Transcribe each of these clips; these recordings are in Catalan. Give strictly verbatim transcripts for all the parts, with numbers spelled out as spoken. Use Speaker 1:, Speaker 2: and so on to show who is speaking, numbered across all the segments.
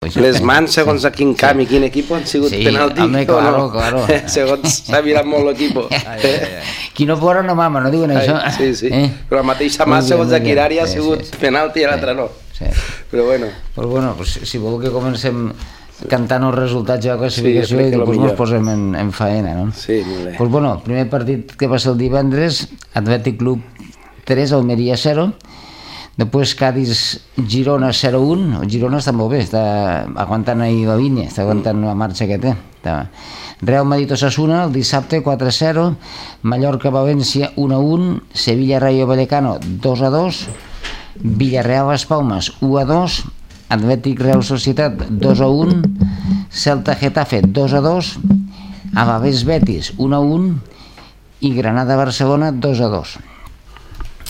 Speaker 1: Les mans, segons a quin camp i quin equip han sigut penalti,
Speaker 2: home, claro, claro.
Speaker 1: Segons s'ha mirat molt l'equip.
Speaker 2: Qui no plora no mama, no diuen això?
Speaker 1: Sí, sí, però la mateixa mà, segons a quin àrea, ha sigut penalti i l'altre no. Però bueno.
Speaker 2: Pues bueno, si voleu que comencem cantant els resultats de la classificació i després ens posem en faena, no?
Speaker 1: Sí, molt bé.
Speaker 2: Pues bueno, primer partit que va ser el divendres, Atlètic Club tres, Almeria zero. Després Cádiz-Girona zero un. El Girona està molt bé, està aguantant ahir la línia, està aguantant la marxa que té. Real Madrid-Osasuna el dissabte quatre a zero, Mallorca-València un a un, Sevilla-Rayo Vallecano dos a dos, Villarreal-Las Palmas u a dos, Atlètic-Real Societat dos a un, Celta-Getafe dos a dos, Alavés-Betis un a un i Granada-Barcelona dos a dos.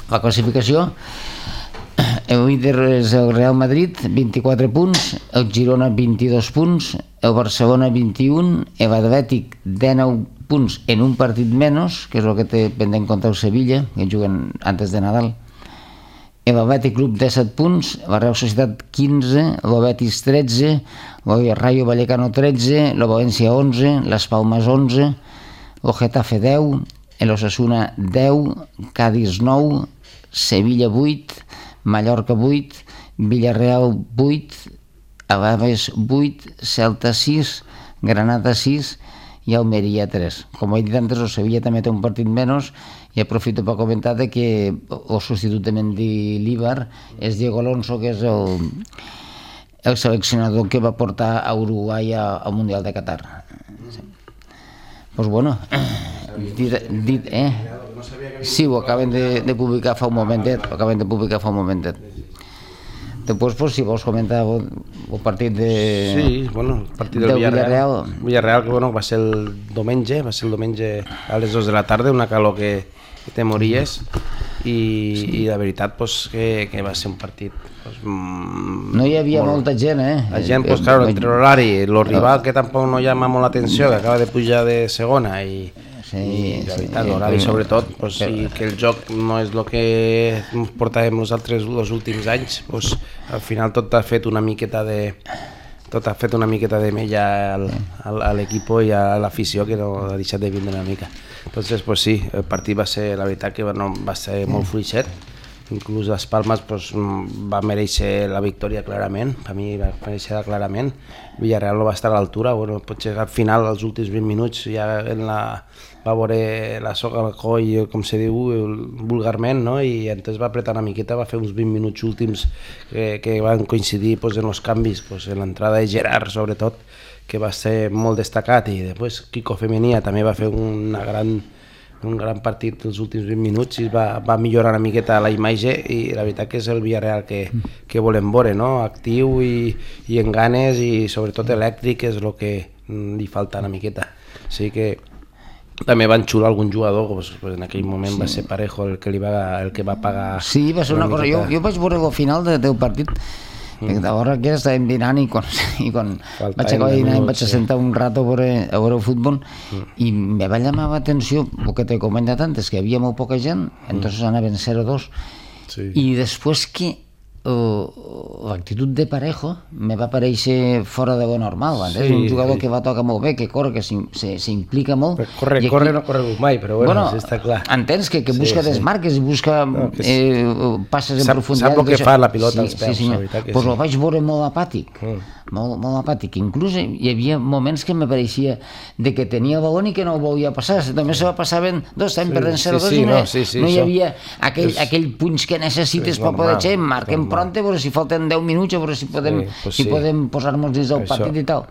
Speaker 2: La classificació: el líder és el Real Madrid, vint-i-quatre punts, el Girona vint-i-dos punts, el Barcelona vint-i-un, l'Atlètic dinou punts en un partit menys, que és el que té pendent contra el Sevilla, que juguen antes de Nadal. L'Atlètic Club disset punts, la Real Societat quinze, el Betis tretze, el Rayo Vallecano tretze, el València onze, les Palmes onze, el Getafe deu, l'Osasuna deu, Cádiz nou, Sevilla vuit, Mallorca vuit, Villarreal vuit, Alaves vuit, Celta sis, Granada sis i Almeria tres. Com he dit antes, el Sevilla també té un partit menys i aprofito per comentar que el substitut de Mendilibar és Diego Alonso, que és el, el seleccionador que va portar a Uruguai al Mundial de Qatar. Pues bueno, dit, dit eh? Sí, ho acaben de, de publicar fa un momentet, ho acaben de publicar fa un momentet. Després, pues, si vols comentar el, el partit de...
Speaker 1: Sí, bueno, el partit del Villarreal. Villarreal, que bueno, va ser el diumenge, va ser el diumenge a les dues de la tarda, una calor que, que te mories, i, sí. I la veritat, pues, que, que va ser un partit... Pues, mm,
Speaker 2: no hi havia
Speaker 1: molt...
Speaker 2: molta gent, eh?
Speaker 1: La gent, pues, claro, entre l'horari, el rival que tampoc no llama molt l'atenció, que acaba de pujar de segona, i... Sí, i la veritat, l'horari sobretot, pues, i que el joc no és el que ens portàvem nosaltres els últims anys, pues, al final tot ha fet una miqueta de tot ha fet una miqueta de mella al, al, a l'equip i a l'afició, que no ha deixat de vindre una mica. Entonces, pues sí, el partit va ser, la veritat que no, va ser molt fluixet, inclús les Palmes, pues, va mereixer la victòria clarament, per mi va mereixer clarament. Villarreal no va estar a l'altura, bueno, potser al final, als últims vint minuts, ja en la, va veure la soga al coll, com se diu vulgarment, no? I entonces va apretar una miqueta, va fer uns vint minuts últims que, que van coincidir, pues, en els canvis, pues, en l'entrada de Gerard sobretot, que va ser molt destacat, i després Kiko Femenia també va fer una gran, un gran partit els últims vint minuts i va, va millorar una miqueta la imatge, i la veritat que és el Villarreal que, que volem veure, no? Actiu i, i en ganes, i sobretot elèctric, és el que li falta una miqueta. O sigui que també van xular algun jugador, pues, pues en aquell moment sí. Va ser Parejo el que, li va, el que va pagar.
Speaker 2: Sí, va ser una, una cosa, jo, jo vaig veure el final de, del partit, mm. que d'hora que estàvem dinant i quan, i quan vaig acabar dinar em vaig assentar sí. un rato a veure, a veure el futbol, mm. i me va llamar l'atenció, el que t'he comentat antes, que hi havia molt poca gent, mm. entonces anaven zero a dos, sí. I després que uh, l'actitud de Parejo me va pareixer fora de lo normal, sí, és un jugador sí. que va tocar molt bé, que corre, que s'implica molt.
Speaker 1: Però corre, aquí, corre no corre mai, però bueno, bueno sí, està clar.
Speaker 2: Entens que, que busca sí, desmarques i busca no, eh, passes en
Speaker 1: sap,
Speaker 2: profunditat.
Speaker 1: Sap el que fa la pilota
Speaker 2: sí,
Speaker 1: als peus,
Speaker 2: sí,
Speaker 1: la veritat que
Speaker 2: pues
Speaker 1: sí.
Speaker 2: Ho vaig veure molt apàtic, mm. molt, molt apàtic. Inclús hi havia moments que me pareixia de que tenia el balón i que no ho volia passar, només se va passaven dos, estem sí, perdent zero a dos sí, sí, i no, sí, sí, no hi havia aquell, és, aquell punx que necessites per poder ser, marquem pronte, però si falten deu minuts, a veure si podem, sí, pues si sí. podem posar-nos dins del partit i tal.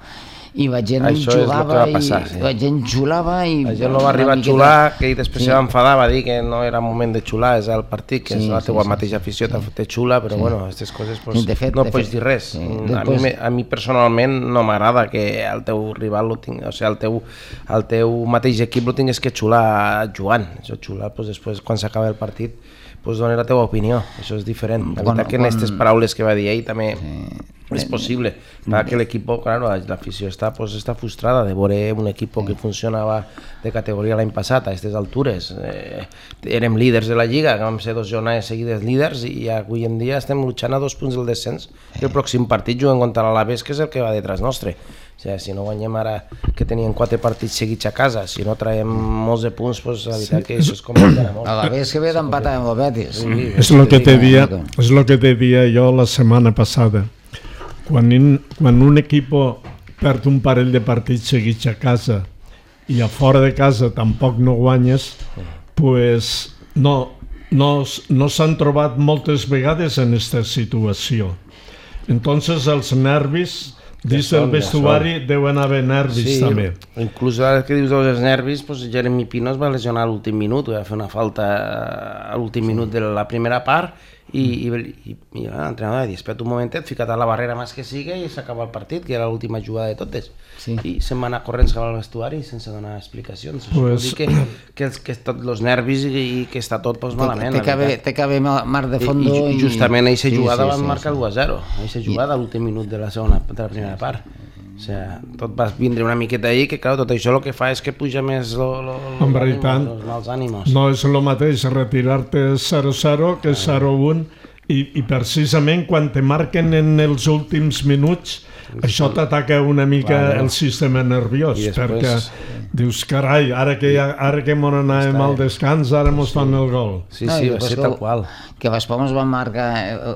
Speaker 2: I la gent xulava,
Speaker 1: passar,
Speaker 2: i
Speaker 1: sí.
Speaker 2: la gent xulava i...
Speaker 1: La gent no va arribar a xular, que després sí. Se va enfadar, va dir que no era moment de xular, és el partit, que sí, és la teua sí, mateixa afició, sí. Te xula, però sí. Bueno, aquestes coses pues, sí, fet, no pots dir res. Sí. A, Després... mi, a mi personalment no m'agrada que el teu rival, lo ting... o sigui, el teu, el teu mateix equip lo tingués que xular jugant. Això xular, pues, després, quan s'acaba el partit, pues dona la teva opinió, això és diferent. La veritat que en aquestes paraules que va dir ell també és possible, perquè l'equip, claro, l'afició està, pues, està frustrada de veure un equip que funcionava de categoria l'any passat a aquestes altures. Eh, érem líders de la Lliga, vam ser dos jornades seguides líders i avui en dia estem luchant a dos punts del descens i el pròxim partit juguen contra l'Alavés, que és el que va detrás nostre. O sigui, si no guanyem ara que tenien quatre partits seguits a casa, si no traiem molts de punts, pues, la veritat que això es complicarà molt.
Speaker 2: L'Alavés que ve d'empatar amb el Betis.
Speaker 3: És el que te dia, és lo que te dia jo la setmana passada. Quan, in, quan un equip perd un parell de partits seguits a casa i a fora de casa tampoc no guanyes, pues no, no, no s'han trobat moltes vegades en aquesta situació. Entonces els nervis dins del vestuari deuen haver nervis, sí, també.
Speaker 1: Inclús ara que dius dels nervis, pues, Jeremy Pino es va lesionar a l'últim minut, va fer una falta a l'últim minut de la primera part i, i, i, i l'entrenador va dir, espera't un momentet, fica't a la barrera més que sigui i s'acaba el partit, que era l'última jugada de totes. Sí. I se'n va anar corrents cap al vestuari sense donar explicacions. Això pues... vol dir que, que, els, que tots els nervis i, i que està tot pues, malament.
Speaker 2: Té que haver mar de fondo.
Speaker 1: I, i justament a aquesta jugada sí, sí, van sí, marcar sí. l'u a zero, a aquesta jugada a l'últim minut de la segona, de la primera part. O sigui, tot va vindre una miqueta ahí, que clar, tot això el que fa és que puja més lo, lo, lo,
Speaker 3: en veritat,
Speaker 1: los mals ànimos.
Speaker 3: No és el mateix retirar-te zero zero que zero un i, i precisament quan te marquen en els últims minuts això t'ataca una mica bueno, el sistema nerviós, després... perquè dius, carai, ara que, ja, ara que m'on anàvem al descans, ara mos fan el gol.
Speaker 1: Sí, sí, no, va ser tal qual.
Speaker 2: Que Las Palmas van marcar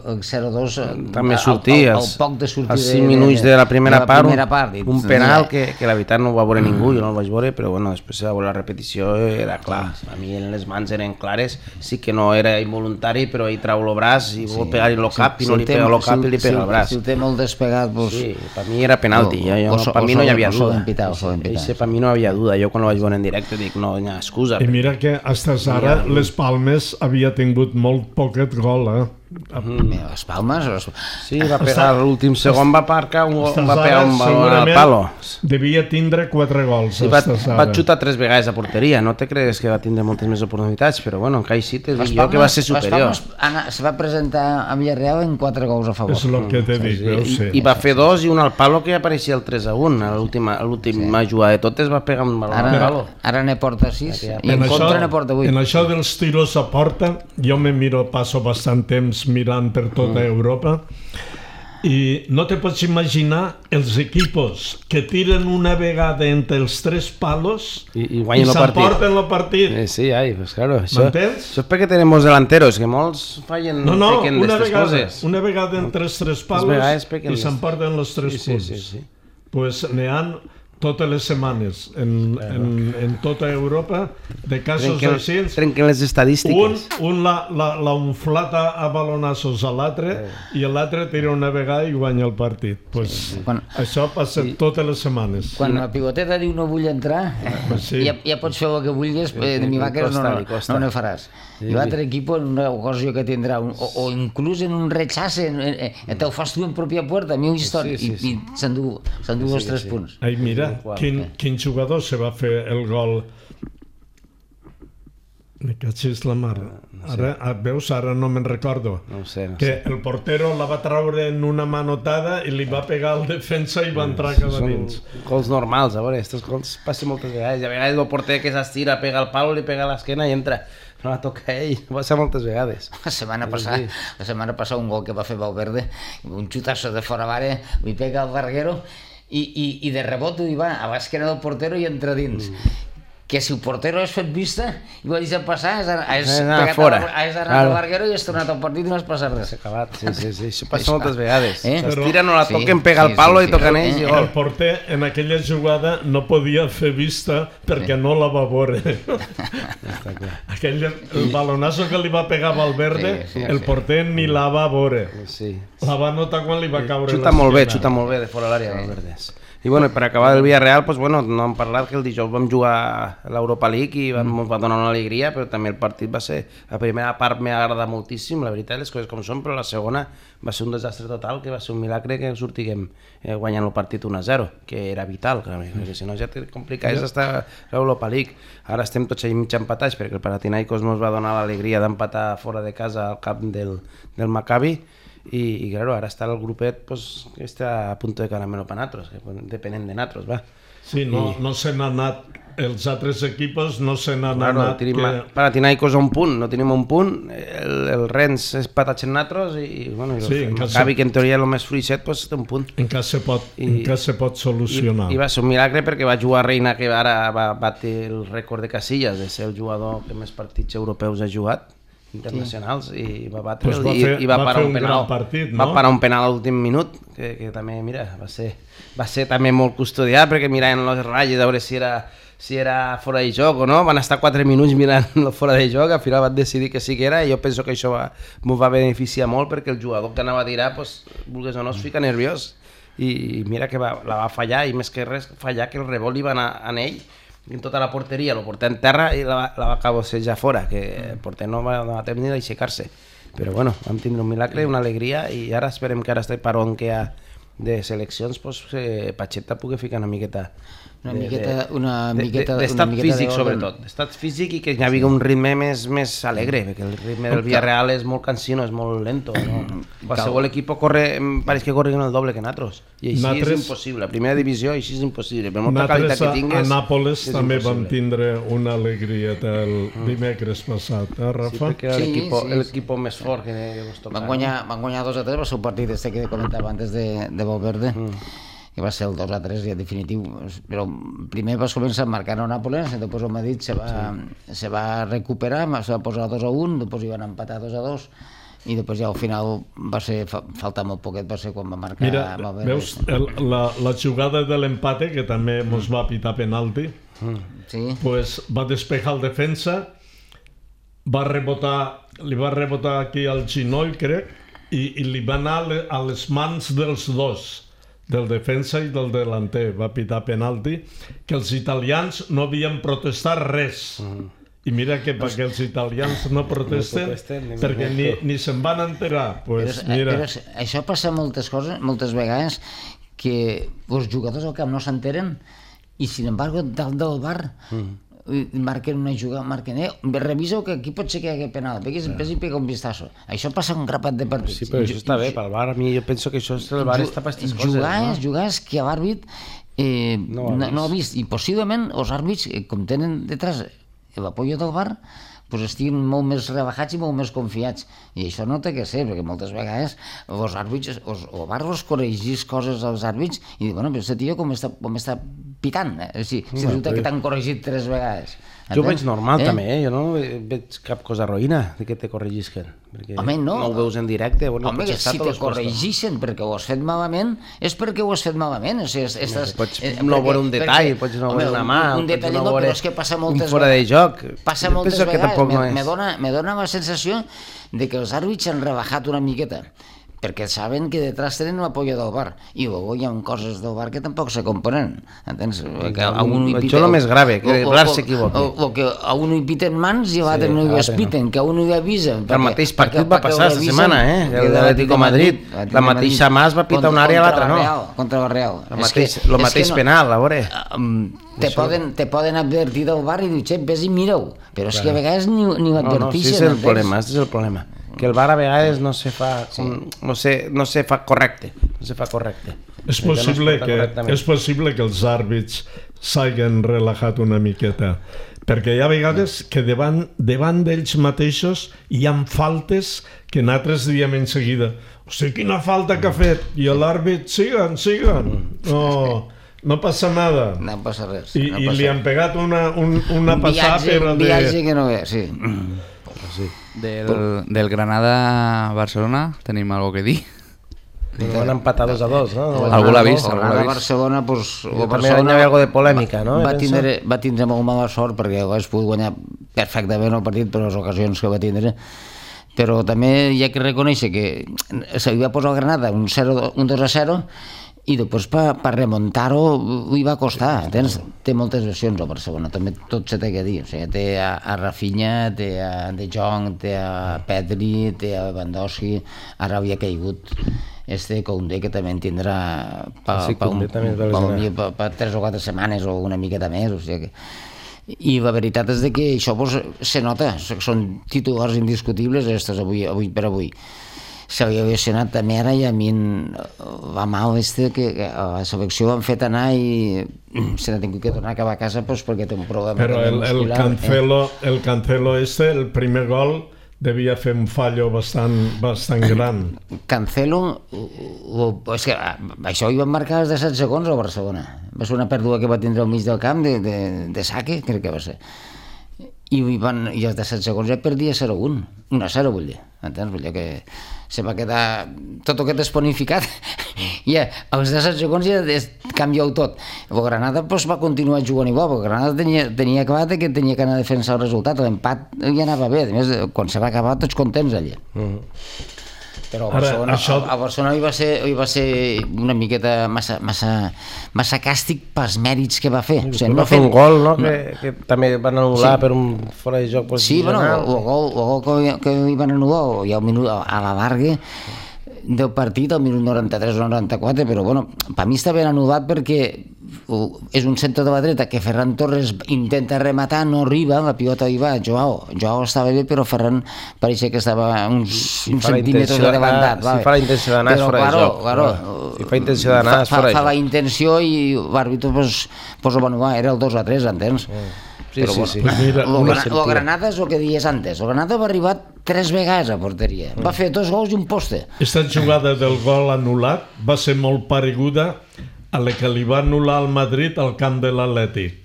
Speaker 2: el zero dos
Speaker 1: també sortia,
Speaker 2: al poc de sortir
Speaker 1: als cinc minuts de la primera, de la primera part, part un, un penal que, que la veritat no ho va veure ningú, jo no el vaig veure, però bueno, després de veure la repetició era clar, a mi les mans eren clares, sí que no era involuntari, però ell trau el braç i vol pegar-hi el cap i no li pega el cap i li pega el braç.
Speaker 2: Si el té molt despegat, doncs...
Speaker 1: Sí, per mi era penalti, per mi no hi havia duda, per mi no hi havia duda, jo quan ho vaig veure en directe dic, no hi ha excusa.
Speaker 3: I mira que fins ara les Palmes havia tingut molt poquet gol, eh?
Speaker 2: Les Palmes...
Speaker 1: Sí, va pegar l'últim segon, va marcar un va pegar un baló al palo.
Speaker 3: Devia tindre quatre gols.
Speaker 1: Va xutar tres vegades a porteria, no te cregues que va tindre moltes més oportunitats, però bueno, encara així te dic jo que va ser superior.
Speaker 2: Les Palmes se va presentar a Villarreal en quatre gols a favor.
Speaker 3: És el que te dic, ho sé.
Speaker 1: I va fer dos i un al palo que apareixia el tres a un, a l'última jugada de totes va pegar un baló al palo.
Speaker 2: Ara ne porta sis i en contra ne porta vuit.
Speaker 3: En això dels tiros a porta, jo me miro, passo bastant temps mirant per tota Europa i no te pots imaginar els equipos que tiren una vegada entre els tres palos
Speaker 1: i, i,
Speaker 3: i s'emporten el partit.
Speaker 1: Eh, sí, ai, pues claro, això, això és perquè tenim molts delanteros, que molts fallen,
Speaker 3: no, no,
Speaker 1: pequen d'estes coses.
Speaker 3: Una vegada entre els tres palos i s'emporten els tres
Speaker 1: sí,
Speaker 3: punts.
Speaker 1: Sí, sí, sí.
Speaker 3: Pues n'hi ha totes les setmanes en, en, en tota Europa de casos
Speaker 1: trenquen,
Speaker 3: així.
Speaker 1: Trenquen les estadístiques.
Speaker 3: Un, un l'ha unflata a balonassos a l'altre eh. i l'altre tira una vegada i guanya el partit. Pues, sí, sí. Quan, això passa sí. totes les setmanes.
Speaker 2: Quan la pivoteta diu no vull entrar, pues sí. ja, ja pots fer el que vulguis, sí, de mi vaques no, no, no ne faràs. Sí. I l'altre equip en una ocasió que tindrà, un, o, o inclús en un rechace, en, en, en, te'l fas tu en pròpia puerta, mi història, sí, sí, sí. i, i s'endú sí, els sí, tres sí. punts.
Speaker 3: Ai, mira, quin, quin jugador se va fer el gol? Me cachis la mare. Ara, veus, ara no me'n recordo.
Speaker 1: No sé, no
Speaker 3: que
Speaker 1: sé.
Speaker 3: El portero la va traure en una manotada i li va pegar al defensa i va entrar cap a dins.
Speaker 1: Són gols normals, a veure, aquests gols passen moltes vegades. A vegades el porter que s'estira, pega el palo, li pega a l'esquena i entra. No la toca ell, va ser moltes vegades.
Speaker 2: La setmana passada, la setmana passada un gol que va fer Valverde, un xutazo de fora d'àrea, li pega al larguero i, i, i de rebot hi va a l'esquena del portero i entra dins. Mm. Que si el portero has fet vista i ho ha deixat passar, has, has, has anat fora. Has anat al larguero i has tornat al partit i no has passat res.
Speaker 1: S'ha acabat, sí, sí, sí, això passa moltes vegades. Eh? S'estira, no la toquen, sí, pega sí, el palo sí, sí, i toquen ells i gol.
Speaker 3: El porter en aquella jugada no podia fer vista perquè sí. no la va veure. Aquell, el balonazo que li va pegar Valverde, sí, sí, el porter sí. ni la va veure.
Speaker 1: Sí.
Speaker 3: La va notar quan li va caure
Speaker 1: xuta molt bé, xuta molt bé de fora l'àrea, sí. Valverde. I bueno, per acabar el Villarreal, pues, bueno, no hem parlat que el dijous vam jugar a l'Europa League i vam, ens va donar una alegria, però també el partit va ser... La primera part m'ha agradat moltíssim, la veritat, les coses com són, però la segona va ser un desastre total, que va ser un milagre que sortiguem eh, guanyant el partit un a zero, que era vital, perquè si no ja te complicaves estar a l'Europa League. Ara estem tots allà mig empatats, perquè el Panathinaikos ens va donar l'alegria d'empatar fora de casa al camp del, del Maccabi, i, i claro, ara està el grupet pues, que està a punt de caramelo per nosaltres, depenent de nosaltres, va.
Speaker 3: Sí, no, I... no se n'han anat, els altres equipos no se n'han
Speaker 1: claro,
Speaker 3: anat.
Speaker 1: Tenim
Speaker 3: que...
Speaker 1: Panathinaikos a un punt, no tenim un punt, el, el Rennes és patatx en nosaltres i, bueno, i sí, el Maccabi, se... que en teoria és el més fluixet, pues, té un punt.
Speaker 3: En cas se pot, I, en cas se pot solucionar.
Speaker 1: I, I va ser un milagre perquè va jugar Reina, que ara va batre el rècord de Casillas de ser el jugador que més partits europeus ha jugat, internacionals, sí. I va batre
Speaker 3: pues va
Speaker 1: i,
Speaker 3: fer,
Speaker 1: i va,
Speaker 3: va
Speaker 1: parar
Speaker 3: un,
Speaker 1: un penal,
Speaker 3: partit, no?
Speaker 1: Va parar un penal a l'últim minut, que, que també, mira, va ser, va ser també molt custodiat, perquè miraven les ratlles a veure si era, si era fora de joc o no, van estar quatre minuts mirant fora de joc, al final van decidir que sí que era, i jo penso que això va, m'ho va beneficiar molt, perquè el jugador que anava a tirar, pues, vulguis o no, es fica nerviós, i mira que va, la va fallar, i més que res, fallar que el rebot li va anar en ell, en tota la porteria, el porter en terra i la, la va cabossejar fora, que el porter no va, no va tenir d'aixecar-se. Però bueno, vam tindre un milagre, una alegria, i ara esperem que ara este parón que hi ha de seleccions, pues, eh, Pacheta pugui ficar una miqueta
Speaker 2: una miqueta una miqueta
Speaker 1: d'estat físic, sobretot d'estat físic, i que hi hagi un ritme més, més alegre, perquè el ritme del Villarreal és molt cansino, és molt lento, no? Qualsevol equip corre, pareix que corren el doble que nosaltres, i així Natres, és impossible, a primera divisió així és impossible, per molta qualitat que tingues.
Speaker 3: A Nàpoles també vam tindre una alegria el dimecres passat, eh, Rafa?
Speaker 1: Sí, perquè era sí, l'equip sí, més fort que ens tocava.
Speaker 2: Van guanyar, van guanyar dos a tres, va ser un partit este que comentava antes de, de Valverde, mm. que va ser el dos a tres ja definitiu, però primer vas començar marcant a Nàpoles, després el Madrid se va, sí. se va recuperar, se va posar dos a un, després hi van empatar dos a dos, i després ja al final va ser, fa, falta molt poquet, va ser quan va marcar.
Speaker 3: Mira, veus el, la, la jugada de l'empate, que també mos va pitar penalti, mm. sí. pues va despejar el defensa, va rebotar, li va rebotar aquí al ginoll, crec, i, i li va anar a les mans dels dos, del defensa i del delanter, va pitar penalti, que els italians no havien protestat res. Mm. I mira que perquè els italians no protesten, no protesten ni perquè ni, ni se'n van enterar. Pues,
Speaker 2: però,
Speaker 3: mira.
Speaker 2: Però això passa moltes coses, moltes vegades, que els jugadors al camp no s'enteren i, sin embargo, dalt del bar mm. marquen una jugada, marquen, eh, reviseu que aquí pot ser que hi hagi penal, vés i pega un vistazo. Això passa un grapat de partits.
Speaker 1: Sí, però això està bé, pel bar, a mi jo penso que això és el bar està per aquestes coses.
Speaker 2: Jugades, no? Jugades que l'àrbit eh, no, no, no ha vist, i possiblement els àrbits, eh, com tenen detrás l'apoyo del bar, pues estiguin molt més rebajats i molt més confiats, i això no té que ser, perquè moltes vegades els àrbits, els, el bar els corregís coses als àrbits i diu, bueno, però aquest tio com està, com està pitant, eh? Si, si resulta que t'han corregit tres vegades.
Speaker 1: Jo ho veig normal eh? també, eh? Jo no veig cap cosa roïna de que te corregisquen, perquè
Speaker 2: home, no.
Speaker 1: no ho veus en directe. Bueno,
Speaker 2: home, si te corregixen perquè ho has fet malament, és perquè ho has fet malament. O sigui, estàs,
Speaker 1: no, pots eh, no veure un detall, perquè, pots no veure una mà,
Speaker 2: un, un detall no, però és que passa moltes
Speaker 1: un fora de joc.
Speaker 2: Passa jo moltes vegades, me, no me, dona, me dona la sensació de que els àrbits han rebajat una miqueta, perquè saben que detrás tenen l'apoyo del bar, i luego hi ha coses del bar que tampoc se componen, entens? Que a un hi
Speaker 1: això és el més grave, que el bar s'equivoqui.
Speaker 2: O que a un hi piten mans i a l'altre no hi espiten, que a un hi avisen.
Speaker 1: El mateix partit va passar aquesta setmana, eh? El d'Atlético Madrid, la mateixa mà es va pitar una àrea a l'altra, no?
Speaker 2: Contra la Real.
Speaker 1: El mateix penal, a veure.
Speaker 2: Te poden, te poden advertir del bar i dir, xep, vés i mireu, però és que a vegades ni ho advertixen.
Speaker 1: No, no, sí, és el problema, és el problema. Que el bar a vegades no se fa, sí. no, se, no se fa correcte, no se fa correcte.
Speaker 3: És possible, que, és possible que els àrbits s'hagin relaxat una miqueta, perquè hi ha vegades que davant, davant d'ells mateixos hi ha faltes que nosaltres diem en seguida, o sigui, quina falta que ha fet, i l'àrbit, siguen, siguen, no... No passa nada.
Speaker 2: No passa res.
Speaker 3: I,
Speaker 2: no
Speaker 3: i
Speaker 2: passa
Speaker 3: li han pegat una, un, una
Speaker 2: un
Speaker 3: passada
Speaker 2: viatge,
Speaker 3: per...
Speaker 2: Un viatge de... que no ve, sí.
Speaker 4: sí. Del, del Granada-Barcelona tenim alguna que dir?
Speaker 1: Van empatar dos a dos, no?
Speaker 4: Algú l'ha vist?
Speaker 2: El Granada-Barcelona, pues...
Speaker 1: El Barcelona hi ha algo de polèmica, no?
Speaker 2: Va tindre, va tindre molt mala sort perquè hagués pogut guanyar perfectament el partit per les ocasions que va tindre, però també hi ha que reconèixer que se li va posar al Granada un dos a zero i després per, per remuntar-ho hi va costar. Tens, té moltes versions al Barcelona, també tot se té que dir. O sigui, té a, a Rafinha, té a De Jong, té a Pedri, té a Lewandowski, ara havia caigut este Koundé, que també en tindrà per
Speaker 1: sí,
Speaker 2: pa un, pa un, pa, pa tres o quatre setmanes o una miqueta més. O sigui que... I la veritat és que això pues, se nota, són titulars indiscutibles estos avui, avui per avui. S'havia lesionat també ara i a mi va mal este que a la selecció l'han fet anar i se n'ha tingut que tornar a acabar a casa pues, perquè té un problema.
Speaker 3: Però el, el, Cancelo, eh? el Cancelo este, el primer gol devia fer un fallo bastant, bastant gran.
Speaker 2: Cancelo, o, és que això hi van marcar els disset segons al Barcelona. Va ser una pèrdua que va tindre al mig del camp de, de, de Saque, crec que va ser. I, van, i els disset segons ja perdia zero a un, un a zero vull dir, entens? Vull dir que se va quedar tot el que t'has planificat i ja, als disset segons ja canvieu tot. El Granada pues, va continuar jugant igual, el Granada tenia, tenia acabat que tenia que anar a defensar el resultat, l'empat ja anava bé, a més quan se va acabar tots contents allà. Mm-hmm. Però a Barcelona, Ara, això... a Barcelona hi va, ser, hi va ser una miqueta massa, massa, massa càstig pels mèrits que va fer.
Speaker 1: O sigui, no va fer un gol, no? no. Que, que també van anul·lar sí. per un fora de joc
Speaker 2: posicional. Sí, bueno, el gol, el gol que, que hi van anul·lar ja al minut, a la larga del partit, al minut noranta-tres o noranta-quatre, però bueno, per mi està ben anul·lat perquè és un centre de la dreta que Ferran Torres intenta rematar, no arriba, la pilota hi va, Joao, Joao estava bé, però Ferran pareixia que estava uns, si uns centímetres adelantat.
Speaker 1: Si fa la intenció d'anar és fora
Speaker 2: claro,
Speaker 1: de joc.
Speaker 2: Claro,
Speaker 1: si fa intenció d'anar és fora de joc.
Speaker 2: Fa la intenció i l'àrbitre pues, pues, ho va anul·lar, era el dos a tres, entens? Mm.
Speaker 1: Sí,
Speaker 2: però,
Speaker 1: sí,
Speaker 2: bueno,
Speaker 1: sí.
Speaker 2: Pues mira, lo, gra lo Granada és el que dies antes. El Granada va arribar tres vegades a porteria. Mm. Va fer dos gols i un poste.
Speaker 3: Aquesta jugada del gol anul·lat va ser molt pareguda a la que li va anul·lar al Madrid al camp de l'Atlètic,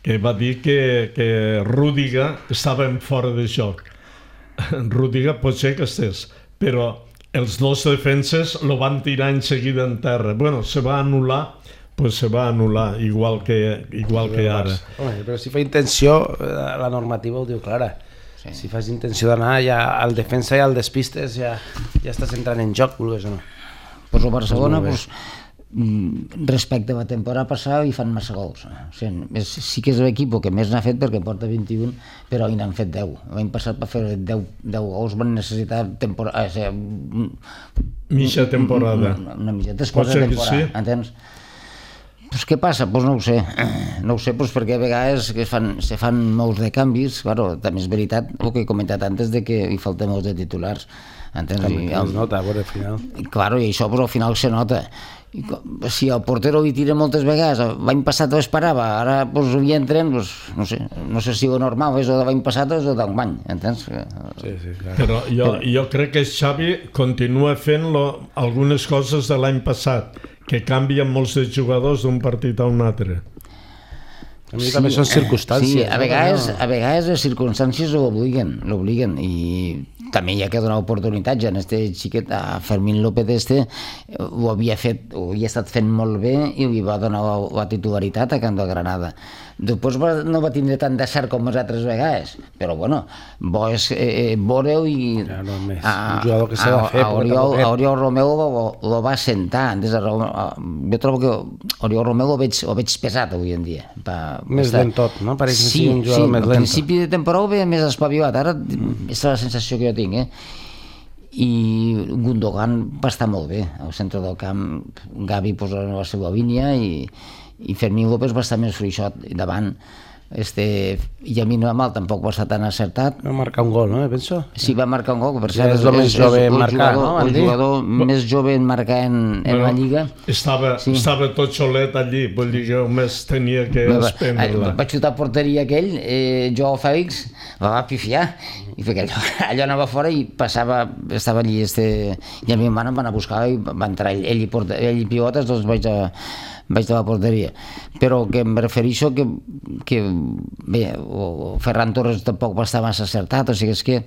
Speaker 3: que va dir que, que Rüdiger estava en fora de joc. Rüdiger pot ser que estés, però els dos defenses lo van tirar en seguida en terra. Bueno, se va anul·lar, pues se va anul·lar, igual que, igual que ara.
Speaker 1: Home, però si fa intenció, la normativa ho diu clara. Sí. Si fas intenció d'anar, ja el defensa i el despistes ja, ja estàs entrant en joc, vulguis o no.
Speaker 2: Pues el Barcelona, pues, respecte a la temporada passada hi fan massa gols. O sigui, és, sí que és l'equip que més n'ha fet perquè porta vint-i-un, però hi n'han fet deu. L'any passat per fer deu, deu gols van necessitar temporada, o sigui,
Speaker 3: mitja temporada.
Speaker 2: Una, una mitja temporada, sí? Entens? Pues què passa? Pues no ho sé. No ho sé pues perquè a vegades que fan, se fan molts de canvis. Claro, també és veritat el que he comentat antes de que hi falta molts de titulars. Entens?
Speaker 1: També es nota, a veure, al final.
Speaker 2: Claro, i això però al final se nota. I si el portero hi tira moltes vegades, l'any passat ho esperava, ara pues, hi entren, pues, no sé, no sé si ho normal és el de l'any passat o és el d'enguany, entens?
Speaker 1: Sí, sí, clar.
Speaker 3: Però jo, jo crec que Xavi continua fent lo, algunes coses de l'any passat, que canvien molts de jugadors d'un partit a un altre.
Speaker 1: A mi sí, també són circumstàncies.
Speaker 2: Sí, a vegades, a vegades les circumstàncies l'obliguen, l'obliguen, i també hi ha que donar oportunitats. En este xiquet, a Fermín López este, ho havia fet, ho havia estat fent molt bé i li va donar la, la titularitat a Can del Granada. Després va, no va tindre tant de cert com les altres vegades, però bueno, bo és eh, veure-ho i
Speaker 1: ja, no, més. A, un jugador que s'ha de fer.
Speaker 2: A, a, Oriol, a Oriol Romeu lo, lo va sentar. Antes, a, a, jo trobo que Oriol Romeu lo veig, lo veig pesat avui en dia. Pa,
Speaker 1: més estar... lent tot, no? Pareix que
Speaker 2: sí,
Speaker 1: sigui un jugador
Speaker 2: sí,
Speaker 1: més lent.
Speaker 2: Al principi de temporada ho veia més espavilat, ara mm. és la sensació que jo tinc, eh? I Gundogan va estar molt bé al centre del camp. Gavi posa la seva línia i i Fermín López va estar més fluixot davant. Este, i a mi no mal tampoc va estar tan acertat.
Speaker 1: Va marcar un gol, no? Penso.
Speaker 2: Sí, va marcar un gol, per
Speaker 1: cert, ja és el més és, jove en marcar,
Speaker 2: jugador,
Speaker 1: no?
Speaker 2: El jugador Va... més jove en marcar en, en bueno, la Lliga.
Speaker 3: Estava, sí. estava tot xolet allí, vull dir que només tenia que espendre-la.
Speaker 2: Va xutar a porteria aquell, eh, Joao Fèlix, la va pifiar, i perquè allò, allò anava fora i passava, estava allí, este, i a mi em van anar a buscar i va entrar ell, ell, i, porta, ell i pivotes, doncs vaig a vaig de la porteria, però que em refereixo que, que bé, o Ferran Torres tampoc va estar massa acertat, o sigui, és que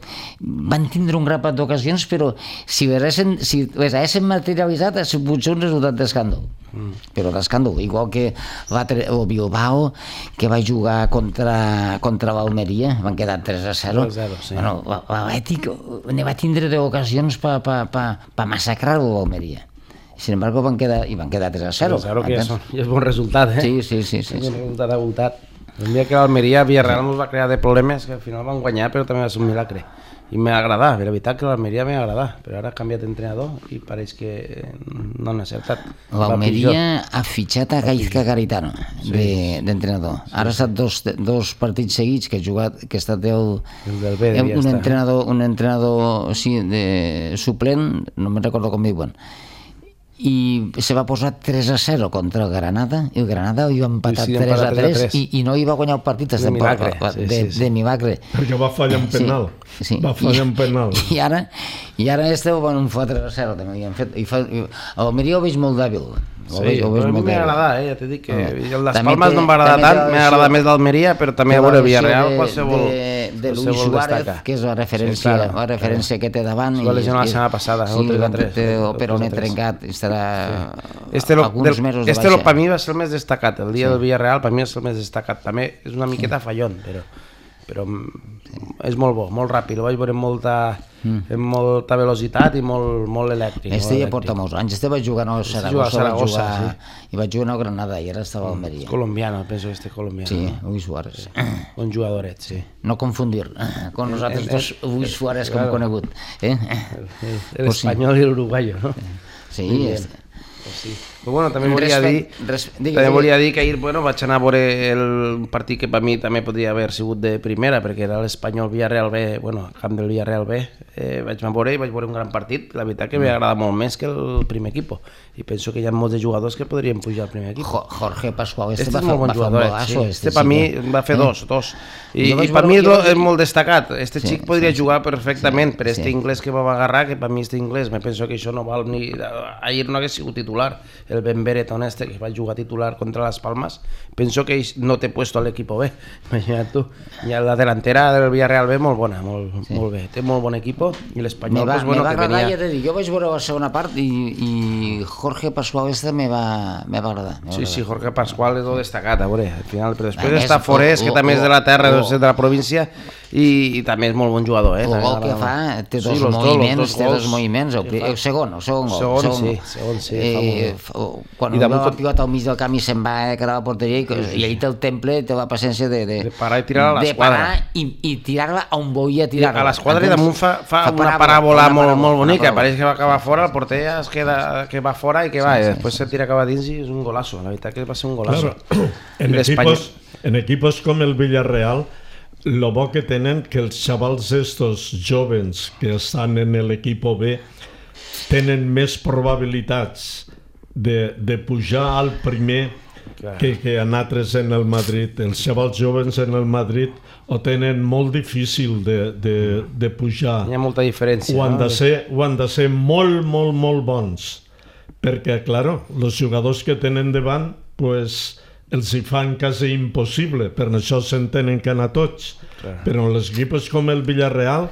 Speaker 2: van tindre un grapat d'ocasions, però si les haguessin, si les haguessin materialitzat ha sigut un resultat d'escàndol, mm. però d'escàndol, igual que el Bilbao, que va jugar contra, contra l'Almeria, van quedar tres a zero,
Speaker 1: sí.
Speaker 2: Bueno, l'Atlètic ne va tindre d'ocasions per pa, pa, pa massacrar-lo l'Almeria. Sin embargo, van quedar, i van quedar tres a zero.
Speaker 1: Claro que ja és bon resultat, eh?
Speaker 2: Sí, sí, sí. sí,
Speaker 1: és un
Speaker 2: sí.
Speaker 1: resultat agotat. El dia que l'Almeria, Villarreal ens va crear de problemes, que al final van guanyar, però també va ser un milagre. I m'ha agradat, la veritat que l'Almeria m'ha agradat, però ara ha canviat d'entrenador i pareix que no han acertat.
Speaker 2: L'Almeria ha fitxat a Gaizka Garitano d'entrenador. Ara ha estat dos, dos partits seguits que ha jugat, que ha estat el,
Speaker 1: el del B,
Speaker 2: un, entrenador, un entrenador sí, de suplent, no me'n recordo com diuen, i se va posar tres a zero contra el Granada, i el Granada hi va empatar sí, tres a tres i, i no hi va guanyar el partit de,
Speaker 1: milagre,
Speaker 2: sí, de, sí, sí. de milagre.
Speaker 3: Perquè va fallar un penal. Sí, sí. Va fallar un penal.
Speaker 2: I, i ara, i ara este ho van fotre a zero també. I fet, i fa, i, l'Almeria ho veig molt dèbil.
Speaker 1: Sí, però a mi m'ha agradat, eh? Ja t'he dit que el Las Palmas no em va agradar tant, m'ha agradat més l'Almeria, però també a veure el Villarreal qualsevol
Speaker 2: de Luis Suárez, que és la referència, sí, la referència que té davant.
Speaker 1: Va lesionar la setmana passada,
Speaker 2: sí, el tres a tres. El peroné trencat, estarà
Speaker 1: sí. alguns mesos de baixa. Este per mi va ser el més destacat, el dia sí. del Villarreal per mi és el més destacat. També és una miqueta fallón, però, però és molt bo, molt ràpid, ho vaig veure amb molta, mm. amb molta velocitat i molt, molt elèctric.
Speaker 2: Este ja porta molts anys, este va jugar a Saragossa, Saragossa jugar, sí. i va jugar a Granada i ara estava a Almeria.
Speaker 1: És colombiano, penso que este colombiano.
Speaker 2: Sí, Luis Suárez.
Speaker 1: Sí. Un jugadoret, sí.
Speaker 2: No confundir con nosaltres dos Luis Suárez com conegut. Eh?
Speaker 1: L'espanyol i l'uruguayo, no?
Speaker 2: Sí, este.
Speaker 1: Sí. Però bueno, també volia dir, també volia dir que ahir bueno, vaig anar a veure el partit que per mi també podria haver sigut de primera, perquè era l'Espanyol Villarreal B, bueno, el camp del Villarreal B, eh, vaig anar a veure i vaig veure un gran partit, la veritat que m'agrada molt més que el primer equip, i penso que hi ha molts de jugadors que podrien pujar al primer equip.
Speaker 2: Jorge Pascual, este,
Speaker 1: este
Speaker 2: va,
Speaker 1: és molt bon
Speaker 2: va
Speaker 1: jugador,
Speaker 2: golazo,
Speaker 1: sí.
Speaker 2: este,
Speaker 1: este per mi va fer dos, dos, i, i per mi és molt destacat, este xic podria jugar perfectament, per este inglès que va agarrar, que per mi este inglés, me penso que això no val ni... Ahir no hagués sigut titular, el Ben Bereton este que va jugar titular contra Las Palmas, penso que no té puesto a l'equip B, imagina't tu. I la delantera del Villarreal B molt bona, molt, sí. molt bé, té molt bon equip i l'Espanyol
Speaker 2: me va,
Speaker 1: pues, bueno,
Speaker 2: me va
Speaker 1: que
Speaker 2: agradar,
Speaker 1: venia...
Speaker 2: ja t'he dit, jo vaig veure la segona part i, i Jorge Pascual este me va, me va agradar. Me va
Speaker 1: sí,
Speaker 2: agradar.
Speaker 1: sí, Jorge Pascual és el destacat, a veure, al final, però després ah, està Forés, que també és de la terra, oh, de la província, i, i també és molt bon jugador. Eh?
Speaker 2: El gol que fa, té dos sí, moviments, dos, té dos moviments, el, el segon, el segon gol.
Speaker 1: Segon, segon, sí, segon, sí, eh,
Speaker 2: fa molt bé. Quan va la pilota al mig del camp i se'n va a quedar a la porteria, i, i ell té el temple, té la paciència de, de,
Speaker 1: de parar i tirar a l'esquadra.
Speaker 2: I, i tirar-la on volia tirar-la.
Speaker 1: A l'esquadra i damunt fa, fa, fa una paràbola molt, molt bonica, pareix que va acabar fora, el porter es queda que va fora i que va, sí, i després sí, se tira cap a dins i és un golazo, la veritat que va ser un golazo.
Speaker 3: Claro. En, equipos, en equipos com el Villarreal, lo bo que tenen que els xavals estos jóvens que estan en l'equip B tenen més probabilitats de, de pujar al primer que, que en altres en el Madrid. Els xavals jóvens en el Madrid ho tenen molt difícil de, de, de pujar.
Speaker 1: Hi ha molta diferència.
Speaker 3: Ho han,
Speaker 1: no?
Speaker 3: de ser, ho han de ser molt, molt, molt bons. Perquè, claro, els jugadors que tenen davant, pues, els hi fan quasi impossible, per això s'entenen que anar tots. Clar. Però en els equipos com el Villarreal,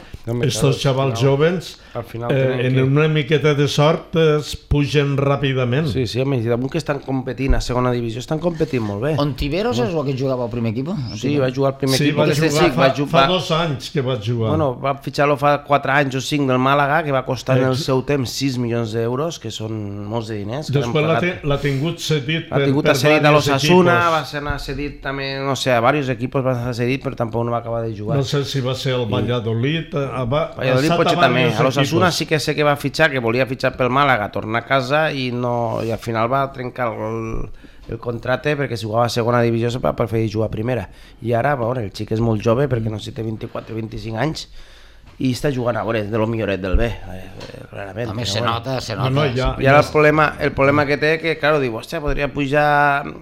Speaker 3: estos xavals jóvens, eh, en que... una miqueta de sort es pugen ràpidament.
Speaker 1: Sí, sí, home, i damunt que estan competint a segona divisió, estan competint molt bé.
Speaker 2: Ontiveros és el que jugava al primer equip?
Speaker 1: Sí, va jugar al primer
Speaker 3: sí,
Speaker 1: equip.
Speaker 3: Va jugar, sí, fa, va jugar... fa dos anys que va jugar.
Speaker 1: Bueno, va fitxar-lo fa quatre anys o cinc del Màlaga, que va costar en el seu temps sis milions d'euros, que són molts de diners.
Speaker 3: Després l'ha tingut cedit per,
Speaker 1: per diversos equips. L'ha tingut cedit a l'Osasuna, va ser cedit també, no sé, a diversos equips va ser cedit, però tampoc no va acabar de jugar.
Speaker 3: No sé si va ser el Valladolid. Va,
Speaker 1: Valladolid potser també. A l'Osasuna sí que sé que va fitxar, que volia fitxar pel Màlaga, tornar a casa i, no, i al final va trencar el, el contracte perquè si jugava a segona divisió va preferir jugar a primera. I ara, bueno, el xic és molt jove perquè no sé, té vint-i-quatre o vint-i-cinc anys i està jugant a veure de lo milloret del B, clarament.
Speaker 2: Home, se nota, se nota.
Speaker 3: No, no, ja,
Speaker 1: I ara el problema, el problema que té que, claro, diu, hòstia, podria pujar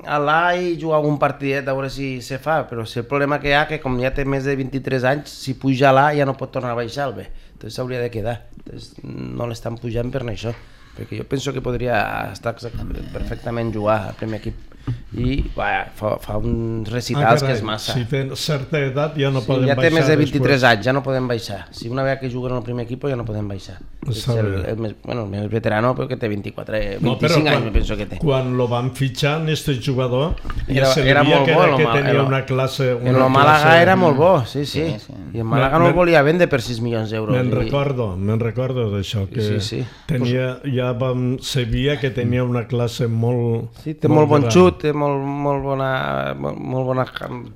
Speaker 1: a l'A i jugar algun partidet a veure si se fa, però si el problema que hi ha que com ja té més de vint-i-tres anys, si puja a l'A ja no pot tornar a baixar al B, entonces s'hauria de quedar. Entonces, no l'estan pujant per això, perquè jo penso que podria estar perfectament jugar al primer equip. I va, fa, fa uns recitals ah, que és massa.
Speaker 3: Si té certa edat ja no
Speaker 1: sí,
Speaker 3: poden
Speaker 1: ja
Speaker 3: baixar.
Speaker 1: Ja té més de vint-i-tres
Speaker 3: després.
Speaker 1: anys, ja no podem baixar. Si una vegada que juguen en el primer equip ja no podem baixar. És el, el, més, bueno, el més veterano però que té vint-i-quatre, vint-i-cinc no, anys, penso que té.
Speaker 3: Quan lo van fitxar, este jugador, ja
Speaker 1: era,
Speaker 3: se
Speaker 1: era molt
Speaker 3: que,
Speaker 1: bo,
Speaker 3: que tenia
Speaker 1: el,
Speaker 3: una classe... Una
Speaker 1: en el Màlaga
Speaker 3: classe...
Speaker 1: era molt bo, sí, sí. sí, sí. I el Màlaga no el volia vendre per sis milions d'euros.
Speaker 3: Me'n
Speaker 1: i...
Speaker 3: recordo, me'n recordo d'això, que sí, sí. tenia, ja ja vam, sabia que tenia una classe molt...
Speaker 1: Sí, té molt, molt bon xut, té molt, molt, bona, molt, molt bona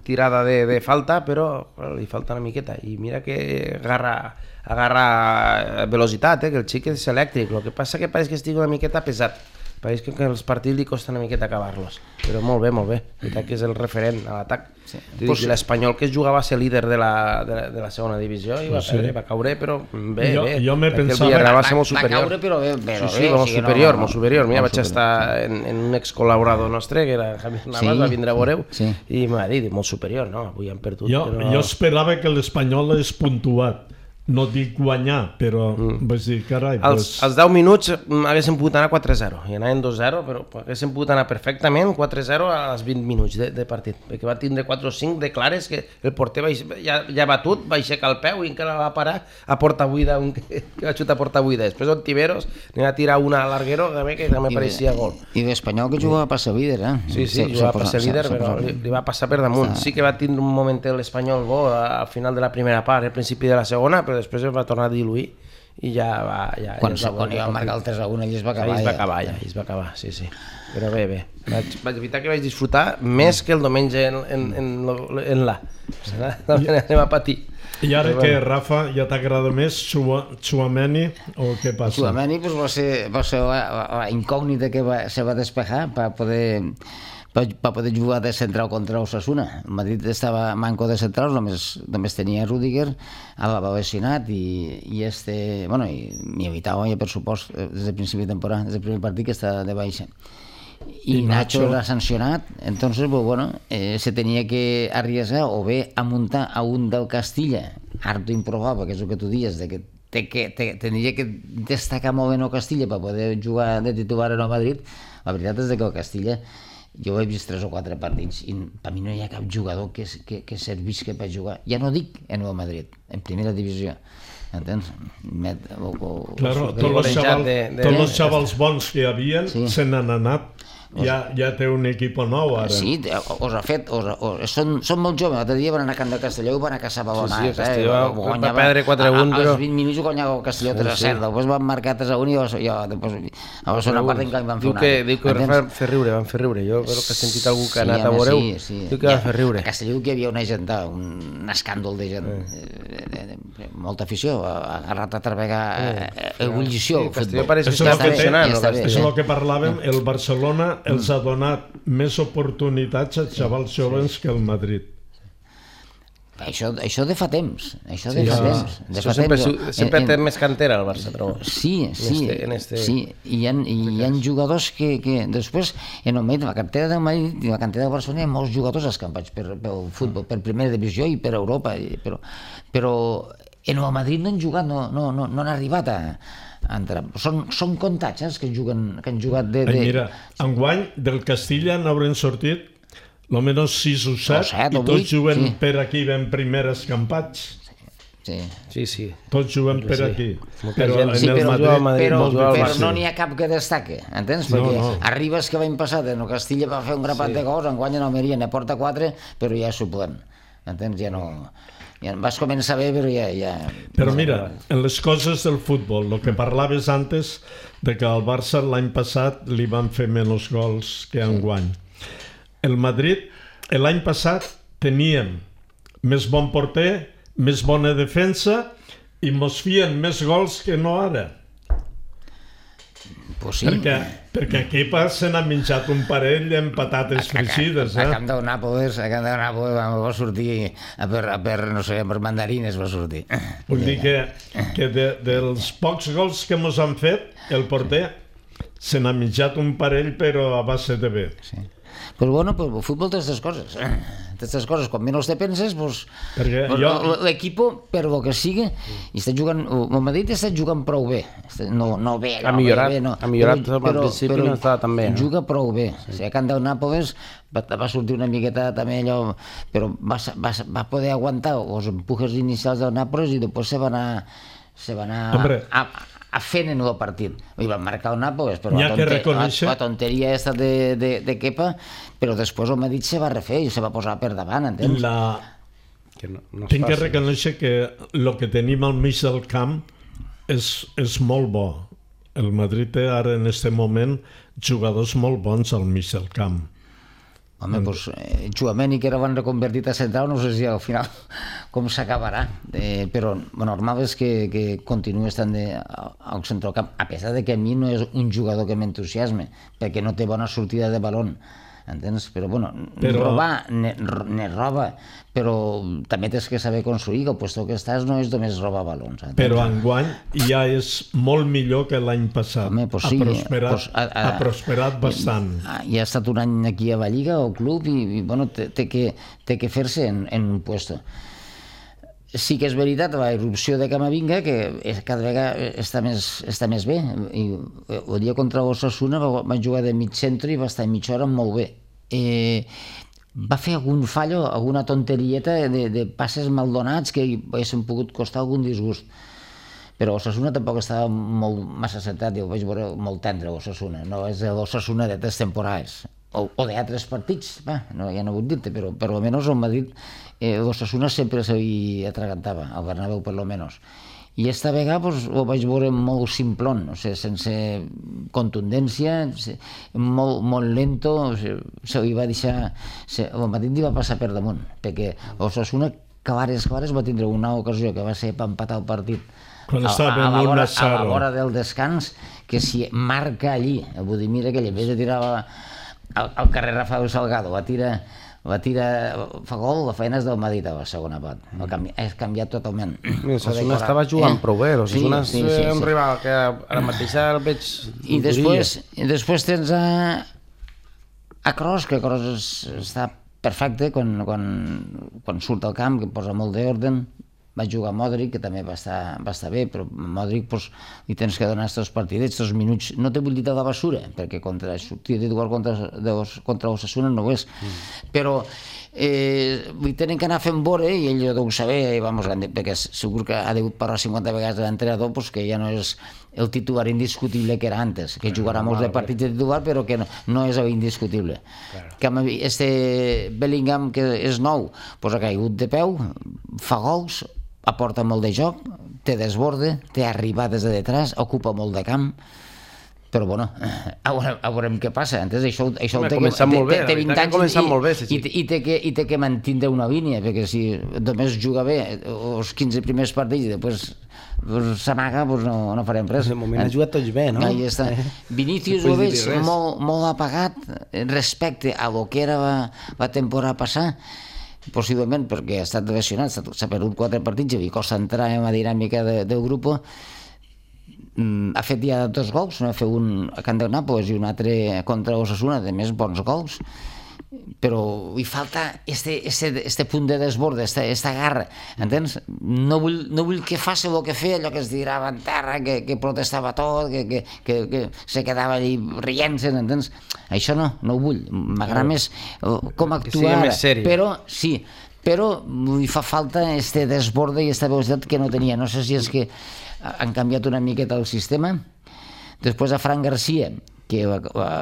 Speaker 1: tirada de, de falta, però li falta una miqueta. I mira que agarra, agarra velocitat, eh, que el xic és elèctric. El que passa que pareix que estigui una miqueta pesat. Pareix que els partits li costa una miqueta acabar-los, però molt bé, molt bé. La veritat que és el referent a l'atac. Sí. Pues... L'Espanyol que jugava a ser líder de la, de, de la segona divisió i va, sí. perdre, va caure, però bé,
Speaker 3: jo,
Speaker 1: bé.
Speaker 3: Jo me pensava...
Speaker 1: Va, va ser molt superior.
Speaker 2: Va caure, però bé, però
Speaker 1: sí, sí,
Speaker 2: bé.
Speaker 1: molt
Speaker 2: sí,
Speaker 1: superior,
Speaker 2: no,
Speaker 1: molt superior. Mira,
Speaker 2: molt
Speaker 1: vaig
Speaker 2: superior.
Speaker 1: estar en, en un excol·laborador nostre, que era Javier Navas, sí. va vindre a veure-ho, sí. i m'ha dit, molt superior, no? Avui han perdut.
Speaker 3: Jo,
Speaker 1: però...
Speaker 3: jo esperava que l'Espanyol hagués puntuat. No dic guanyar, però mm. vaig dir, carai...
Speaker 1: Els,
Speaker 3: pues...
Speaker 1: els deu minuts haguessin pogut anar quatre zero, i anaven dos zero, però haguessin pogut anar perfectament quatre zero als vint minuts de, de partit, perquè va tindre quatre o cinc de clares que el porter va, ja, ja batut, va aixecar el peu i encara va parar a porta buida, un que, que va xutar a porta buida. Després Ontiveros n'hi va tirar una a l'arguero que, que també pareixia gol.
Speaker 2: I l'Espanyol que jugava a passar líder, eh?
Speaker 1: Sí, sí, sí jugava a passar líder, però li, li va passar per damunt. Sí que va tindre un momentet l'Espanyol bo al final de la primera part, al principi de la segona, però després es va tornar a diluir i ja va... Ja,
Speaker 2: quan
Speaker 1: ja
Speaker 2: quan va marcar el tres a un, ell es va acabar.
Speaker 1: Ell es va acabar, ja, ell es va acabar, sí, sí. Però bé, bé. Vaig, vaig evitar que vaig disfrutar més que el diumenge en, en, en, en la. Anem a patir.
Speaker 3: I ara que, Rafa, ja t'agrada més Tchouaméni o què passa?
Speaker 2: Tchouaméni pues, va ser, va ser la, la incògnita que va, se va despejar per poder... per poder jugar de central contra Osasuna. El Madrid estava manco de centrals, només, només tenia Rüdiger, Alaba lesionat i, i este, bueno, i Militao ja per supost des del principi de temporada, des del primer partit que està de baixa. I, I Nacho era sancionat, entonces, pues, bueno, eh, se tenia que arriesgar o bé a muntar a un del Castilla, harto improbable, que és el que tu dies, de que té que, té, tenia que destacar molt bé el Castilla per poder jugar de titular en el Madrid. La veritat és que el Castilla, jo he vist tres o quatre partits i per mi no hi ha cap jugador que, que, que servisca per jugar. Ja no dic en el Madrid, en primera divisió. Entens? Met, o, o,
Speaker 3: claro, tots els xavals, de, de... tots els xavals bons que hi havia sí. se n'han anat. Ja, ja té un equip nou ara.
Speaker 2: Sí, us ha fet, us, us, són, són molt joves. L'altre dia van anar a Camp de Castelló i van anar a caçar balonats.
Speaker 1: Sí, sí, Castelló eh? va perdre quatre a un, però...
Speaker 2: Als vint minuts guanyava el Castelló tres a zero, després van marcar tres a un i jo, després, a la segona part encara van fer una altra.
Speaker 1: Diu que van fer riure, van fer riure. Jo crec que he sentit algú que ha anat a veure-ho, diu que van fer riure.
Speaker 2: A Castelló que hi havia una gent, un escàndol de gent, molta afició, ha agarrat a travegar ebullició.
Speaker 1: Castelló pareix que està funcionant.
Speaker 3: És el que parlàvem, el Barcelona els ha donat més oportunitats als xavals joves que el Madrid.
Speaker 2: Això, això de fa temps, això de sí, fa ja. temps. De fa
Speaker 1: sempre
Speaker 2: temps.
Speaker 1: sempre en, té més cantera el Barça, però...
Speaker 2: Sí, sí, en este, en este, sí. I hi ha, hi ha jugadors que, que després, en el Madrid, la cantera del Madrid i la cantera del Barcelona, hi ha molts jugadors escampats per, pel futbol, per primera divisió i per Europa, però, però en el Madrid no han jugat, no, no, no, no han arribat a... Entrar. Són, són comptats eh, que, juguen, que han jugat de... de...
Speaker 3: Ai, mira, enguany del Castilla n'hauran sortit almenys sis o set, o set i tots vuit, juguen sí. per aquí ben primer escampats.
Speaker 2: Sí,
Speaker 1: sí. sí.
Speaker 3: Tots juguen per sí. aquí.
Speaker 2: Però,
Speaker 3: en
Speaker 2: sí,
Speaker 3: el
Speaker 2: però,
Speaker 3: Madrid,
Speaker 2: Madrid, però, però, però no n'hi ha cap que destaque, entens? Perquè no, no. Arribes que l'any passat en el Castilla va fer un grapat sí. de gols, enguany en Almeria ne porta quatre, però ja és suplent. Entens? Ja no... Ja vas començar bé, però ja... ja...
Speaker 3: Però mira, en les coses del futbol, el que parlaves antes de que al Barça l'any passat li van fer menys gols que enguany. El Madrid, l'any passat, teníem més bon porter, més bona defensa i mos fien més gols que no ara.
Speaker 2: Pues sí.
Speaker 3: Perquè, perquè aquí se n'ha menjat un parell amb patates fregides.
Speaker 2: A, a, a Camp del Nàpoles, a Camp del Nàpoles va sortir a per, a per, no sé, per mandarines va sortir.
Speaker 3: Vull dir que, que de, dels pocs gols que mos han fet, el porter se n'ha menjat un parell però a base de bé.
Speaker 2: Sí. Pues bueno, pues el futbol té aquestes coses. Aquestes coses, quan menys te penses, pues, pues jo... l'equip, per lo que sigui, i està jugant, el Madrid està jugant prou bé. No, no bé,
Speaker 1: ha millorat,
Speaker 2: bé, no.
Speaker 1: ha millorat, però,
Speaker 2: però,
Speaker 1: al principi
Speaker 2: però,
Speaker 1: no estava tan bé. No?
Speaker 2: Juga prou bé. Sí. O sigui, a Camp del Nàpoles va, va sortir una miqueta també allò, però va, va, va poder aguantar els empujes inicials del Nàpoles i després se va anar, se va anar a, a fent en el partit. I van marcar el Nàpoles, però la, tonter, reconèixer... la, la tonteria aquesta de, de, de Kepa, però després el Madrid se va refer i se va posar per davant, entens?
Speaker 3: La... Que no, no Tinc que reconèixer que el que tenim al mig del camp és, és molt bo. el Madrid té ara en aquest moment jugadors molt bons al mig del camp.
Speaker 2: Home, doncs eh, Tchouaméni, que era van reconvertit a central, no sé si al final com s'acabarà, eh, però lo normal és que, que continuï estant de, al centrocamp, a pesar de que a mi no és un jugador que m'entusiasme, perquè no té bona sortida de balón, entens? Però, bueno, però... robar ne, ne roba, però també tens que saber construir, que el puesto que estàs no és només robar balons. Entens?
Speaker 3: Però enguany ja és molt millor que l'any passat.
Speaker 2: Home, pues sí,
Speaker 3: ha prosperat,
Speaker 2: pues, a, a,
Speaker 3: ha prosperat bastant.
Speaker 2: Ja ha estat un any aquí a la Lliga, al club, i, i bueno, té, té que, té que fer-se en, en un puesto. Sí que és veritat, la irrupció de Camavinga, que cada vegada està més, està més bé. I el dia contra Osasuna van jugar de mig centre i va estar mitja hora molt bé. Eh, va fer algun fallo, alguna tonterieta de, de passes mal donats que haguessin pogut costar algun disgust. Però Osasuna tampoc estava molt massa centrat, jo ho vaig veure molt tendre, Osasuna. No és l'Osasuna de tres temporades. O, o d'altres partits, va, no, ja no vull dir-te, però per lo menos el Madrid, eh, l'Osasuna sempre se li atragantava, al Bernabéu per lo menos. I esta vegada pues, ho vaig veure molt simplón, o sigui, sense contundència, molt, molt lento, o sigui, se li va deixar... Se, el Madrid li va passar per damunt, perquè Osasuna clares, clares va tindre una ocasió que va ser per empatar el partit
Speaker 3: quan
Speaker 2: a,
Speaker 3: estava
Speaker 2: a, a, la
Speaker 3: un
Speaker 2: hora,
Speaker 3: a
Speaker 2: a la hora del descans, que si marca allí, el Budimir aquell, en vez de tirar al, al carrer Rafael Salgado, va tirar, va tirar, fa gol, la feina és del Madrid a la segona part, ha canviat, ha canviat totalment.
Speaker 1: Osasuna estava jugant eh? prou bé, Osasuna sí, sí, és sí, un sí. rival que ara mateix el veig...
Speaker 2: I després, i després tens a, a Kroos, que Kroos està perfecte quan, quan, quan surt al camp, que posa molt d'ordre. Va jugar Modric, que també va estar, va estar bé, però Modric pues, li tens que donar aquests partidets, aquests minuts, no te vull dir de la basura, perquè contra sortir d'igual contra, contra Osasuna no ho és, mm. però eh, li tenen que anar fent vore, i ell ho saber, i vamos, perquè segur que ha degut parlar cinquanta vegades de l'entrenador, pues, que ja no és el titular indiscutible que era antes, que jugarà molts de partits de titular, però que no, no és indiscutible. Claro. Que este Bellingham, que és nou, pues, ha caigut de peu, fa gols, aporta molt de joc, té desborde, té arribades de detrás, ocupa molt de camp, però bueno, a veurem, a veurem què passa. Entens? Això, això
Speaker 1: Home, té, que, té,
Speaker 2: bé, té vint anys i,
Speaker 1: molt bé, sí, sí.
Speaker 2: i, i, té que, i té que mantindre una línia, perquè si només juga bé els quinze primers partits i després pues, s'amaga, pues no, no farem res.
Speaker 1: De moment ha jugat tots bé, no?
Speaker 2: Ahí està. Vinícius ho veig molt, molt apagat respecte a lo que era la, la temporada passada, possiblement perquè ha estat lesionat, s'ha perdut quatre partits i li costa entrar en la dinàmica de, del grup. Mm, ha fet ja dos gols, no? Ha fet un a Camp de Nàpols i un altre contra Osasuna, de més bons gols, però li falta este, este, este punt de desborde, esta, esta garra, entens? No vull, no vull que faci el que feia, allò que es tirava en terra, que, que protestava tot, que, que, que, que se quedava allí rient-se'n, entens? Això no, no ho vull, m'agrada no. més com actuar ara, però sí, però li fa falta este desborde i esta velocitat que no tenia, no sé si és que han canviat una miqueta el sistema. Després a Fran Garcia, que ha, ha,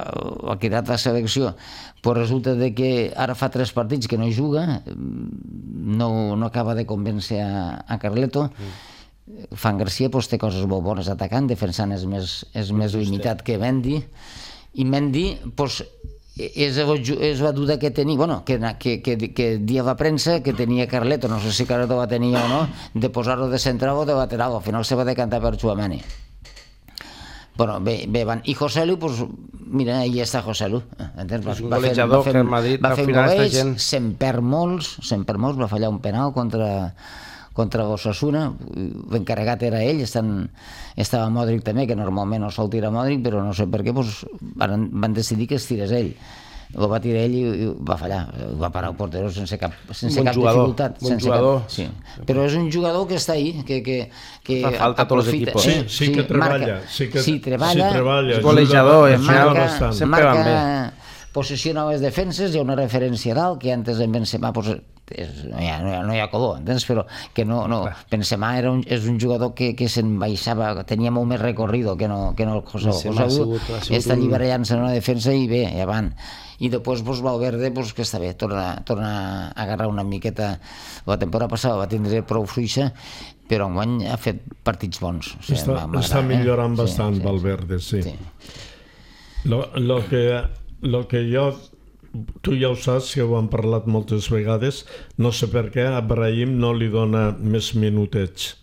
Speaker 2: ha quedat a selecció, pues resulta de que ara fa tres partits que no hi juga, no, no acaba de convèncer a, a Carleto. Mm. Fran Garcia pues, té coses molt bones atacant, defensant és més, és més limitat que Mendy, i Mendy pues, és, és la duda que tenia, bueno, que, que, que, que dia la premsa que tenia Carleto, no sé si Carleto va tenir o no, de posar-lo de central o de lateral, al final se va decantar per Tchouaméni. Bueno, bé, bé, van. I Joselu, pues, mira, ahí està Joselu.
Speaker 1: És un golejador que el Madrid al final està gent...
Speaker 2: Se'n perd molts, se'n perd molts, va fallar un penal contra, contra l'Osasuna, l'encarregat era ell, estan, estava Modric també, que normalment no sol tirar Modric, però no sé per què, pues, van, van decidir que es tirés ell. Ho va tirar ell i va fallar, va parar el portero sense cap, sense
Speaker 1: bon
Speaker 2: cap
Speaker 1: jugador,
Speaker 2: dificultat.
Speaker 1: Bon sense jugador.
Speaker 2: Cap, sí. Però és un jugador que està ahí, que, que, que
Speaker 1: fa falta a tots els equips.
Speaker 3: Sí, sí, sí que treballa, sí que
Speaker 2: sí, treballa,
Speaker 3: sí, treballa
Speaker 1: és golejador, és
Speaker 2: marca,
Speaker 1: sempre van bé.
Speaker 2: Posiciona les defenses, hi ha una referència dalt, que antes en Benzema pues, és, no, hi ha, no, hi ha, no hi ha color, entens? Però que no, no, Benzema era un, és un jugador que, que se'n baixava, tenia molt més recorrido que no, que no el José. José està alliberant-se en una defensa i bé, i avant. I després pues, Valverde, pues, que està bé, torna, torna a agarrar una miqueta. La temporada passada va tindre prou fluixa, però enguany ha fet partits bons. O sigui,
Speaker 3: està, està millorant eh? bastant, sí, sí, Valverde, sí. sí. Lo, lo, que, lo que jo, tu ja ho saps, que ho hem parlat moltes vegades, no sé per què a Brahim no li dona més minutets.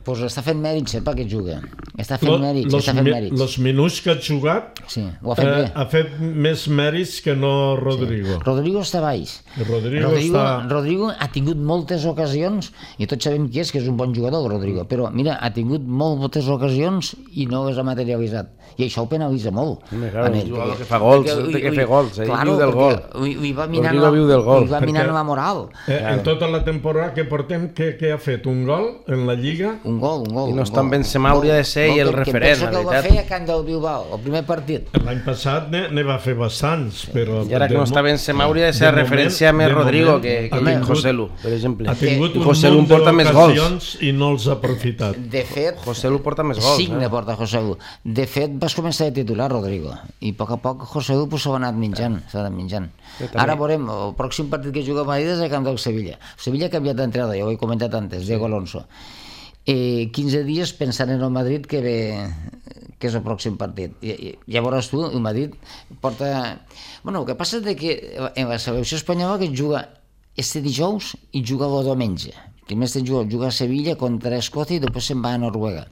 Speaker 2: Pues està fent mèrits, eh, perquè juga. Està fent Lo, mèrits, està fent mèrits.
Speaker 3: Els minuts que ha jugat
Speaker 2: sí, ho ha, fet
Speaker 3: eh, ha fet més mèrits que no Rodrigo.
Speaker 2: Sí. Rodrigo està baix.
Speaker 3: Rodrigo,
Speaker 2: Rodrigo,
Speaker 3: està...
Speaker 2: Rodrigo ha tingut moltes ocasions, i tots sabem qui és, que és un bon jugador, Rodrigo, però mira, ha tingut moltes ocasions i no les ha materialitzat. I això ho penalitza molt.
Speaker 1: Sí, claro, un jugador que fa gols, perquè, té que fer gols, eh?
Speaker 2: Claro,
Speaker 1: viu del gol.
Speaker 2: Li va minant, la,
Speaker 1: viu del gol.
Speaker 2: li va minant la moral.
Speaker 3: Eh, en tota la temporada que portem, què, què ha fet? Un gol en la Lliga?
Speaker 2: Un gol, un gol.
Speaker 1: I no està en Benzema, hauria de ser i el referent,
Speaker 2: la veritat. Que penso que ho va fer a Camp del Bilbao, el primer partit.
Speaker 3: L'any passat ne, ne va fer bastants, però...
Speaker 1: I ara que no està Benzema, hauria de ser de referència més Rodrigo moment, que, que José Lu, per exemple.
Speaker 3: Ha tingut un
Speaker 1: José Lu porta més gols
Speaker 3: i no els ha aprofitat.
Speaker 2: De fet,
Speaker 1: José Lu porta més gols.
Speaker 2: Cinc ne porta José Lu. De fet, vas començar a titular Rodrigo, i a poc a poc José Lu s'ha anat menjant, s'ha anat menjant. Ara veurem, el pròxim partit que juga a Madrid és el camp del Sevilla. Sevilla ha canviat d'entrada, ja ho he comentat antes, Diego Alonso. Eh, quinze dies pensant en el Madrid que ve, que és el pròxim partit. I, i, ja veuràs tu, el Madrid porta... Bueno, el que passa és que en la selecció espanyola que juga este dijous i juga el diumenge. Primer este juga, juga a Sevilla contra Escòcia i després se'n va a Noruega.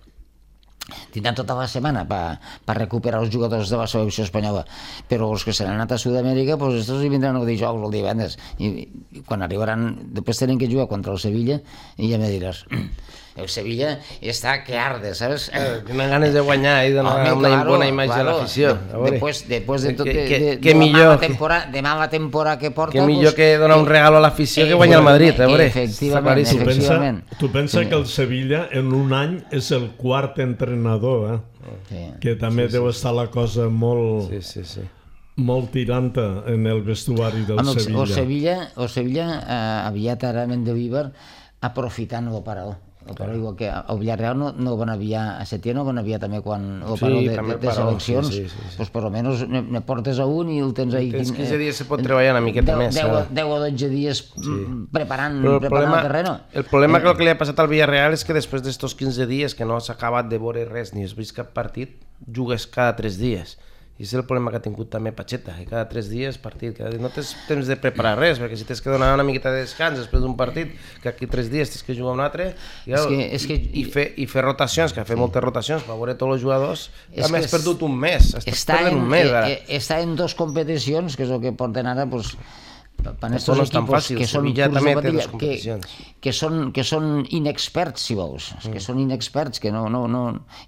Speaker 2: Tindran tota la setmana per pa recuperar els jugadors de la selecció espanyola, però els que se n'han anat a Sud-amèrica, pues estos hi vindran el dijous o el divendres, i, i quan arribaran, després tenen que jugar contra el Sevilla i ja me diràs, el Sevilla està que arde, ¿sabes?
Speaker 1: Eh, tenen ganes de guanyar i donar Home, una claro, bona imatge claro, a l'afició.
Speaker 2: Després, després de tot,
Speaker 1: que,
Speaker 2: de, de,
Speaker 1: que
Speaker 2: de,
Speaker 1: millor,
Speaker 2: la temporada, de mala temporada que porta...
Speaker 1: Que millor pues, que donar un regalo a l'afició eh, que guanyar el Madrid, a veure.
Speaker 2: Efectivament,
Speaker 3: tu
Speaker 2: efectivament.
Speaker 3: Pensa, tu pensa sí. que el Sevilla en un any és el quart entrenador, eh? Sí. Que també sí, deu sí, estar la cosa molt...
Speaker 1: Sí, sí, sí.
Speaker 3: molt tiranta en el vestuari del
Speaker 2: Home,
Speaker 3: Sevilla.
Speaker 2: O Sevilla, o Sevilla eh, aviat ara Mendilibar aprofitant el parador. El parador, igual que el Villarreal no, no van aviar a Setién, no van aviar també quan el parador sí, de, de, de seleccions, sí, sí, sí, sí. Pues per almenys ne, ne portes a un i el tens ahí.
Speaker 1: Tens quinze dies se pot treballar una miqueta
Speaker 2: deu,
Speaker 1: més.
Speaker 2: deu o dotze dies sí. preparant,
Speaker 1: el,
Speaker 2: preparant
Speaker 1: problema,
Speaker 2: el terreno.
Speaker 1: El problema eh. que, que li ha passat al Villarreal és que després d'estos quinze dies que no s'ha acabat de veure res ni has vist cap partit, jugues cada tres dies. I és el problema que ha tingut també Pacheta, que cada tres dies partit, cada dia no tens temps de preparar res, perquè si tens que donar una miqueta de descans després d'un partit, que aquí tres dies tens que jugar un altre, i, és que, és que, i, fer, i fer rotacions, que ha fet sí. moltes rotacions per veure tots els jugadors, també has perdut un mes, estàs perdent un mes ara.
Speaker 2: Està en dos competicions, que és el que porten ara, doncs, per
Speaker 1: estos no equipos fàcil,
Speaker 2: que són
Speaker 1: també té
Speaker 2: dos competicions que, que, són, que són inexperts, si vols, mm. que són inexperts, que no, no, no,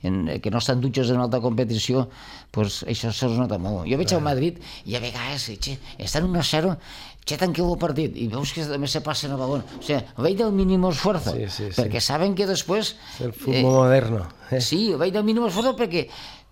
Speaker 2: en, que no estan dutxos en alta competició, pues això se'ls nota molt. Jo veig al Madrid i a vegades che, estan un a zero, che, tanqueu el partit i veus que també se passen el balón. O sigui, veig del mínim esfuerzo,
Speaker 1: sí, sí, sí.
Speaker 2: perquè saben que després...
Speaker 1: És el futbol eh, moderno. Eh?
Speaker 2: Sí, veig del mínim esfuerzo perquè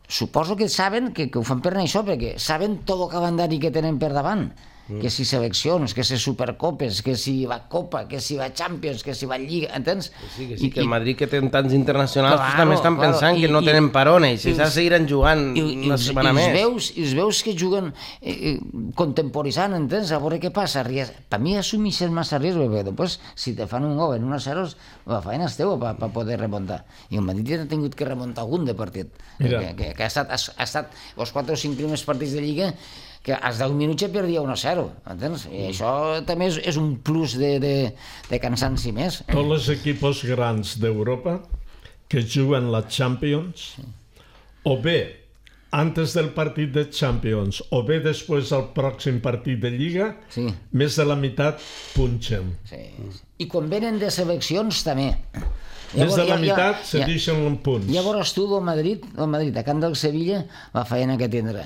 Speaker 2: suposo que saben que, que ho fan per això, perquè saben tot el calendari que tenen per davant. Mm. Que si seleccions, que si supercopes, que si va Copa, que si va Champions, que si va Lliga, entens?
Speaker 1: Que sí, que sí, I, que el Madrid que té tants internacionals claro, també estan claro, pensant i, que no i, tenen parona i si s'ha seguiran jugant i, una i, setmana i més. Veus,
Speaker 2: I els veus que juguen eh, contemporitzant, entens? A veure què passa. Per mi assumeixen massa risc, perquè després si te fan un gol en una zero, la feina és teva per pa poder remuntar. I el Madrid ha tingut que remuntar algun de partit. Que, que, que ha estat, ha, ha estat els quatre o cinc primers partits de Lliga que als deu minuts ja perdia un a zero, entens? I això també és, és un plus de, de, de cansanci més.
Speaker 3: Tots els equipos grans d'Europa que juguen la Champions, sí. o bé antes del partit de Champions o bé després del pròxim partit de Lliga, sí. més de la meitat punxen.
Speaker 2: Sí. I quan venen de seleccions també.
Speaker 3: Més de la meitat se deixen un punt.
Speaker 2: Llavors tu del Madrid, el Madrid a Camp del Sevilla, la feina que tindrà.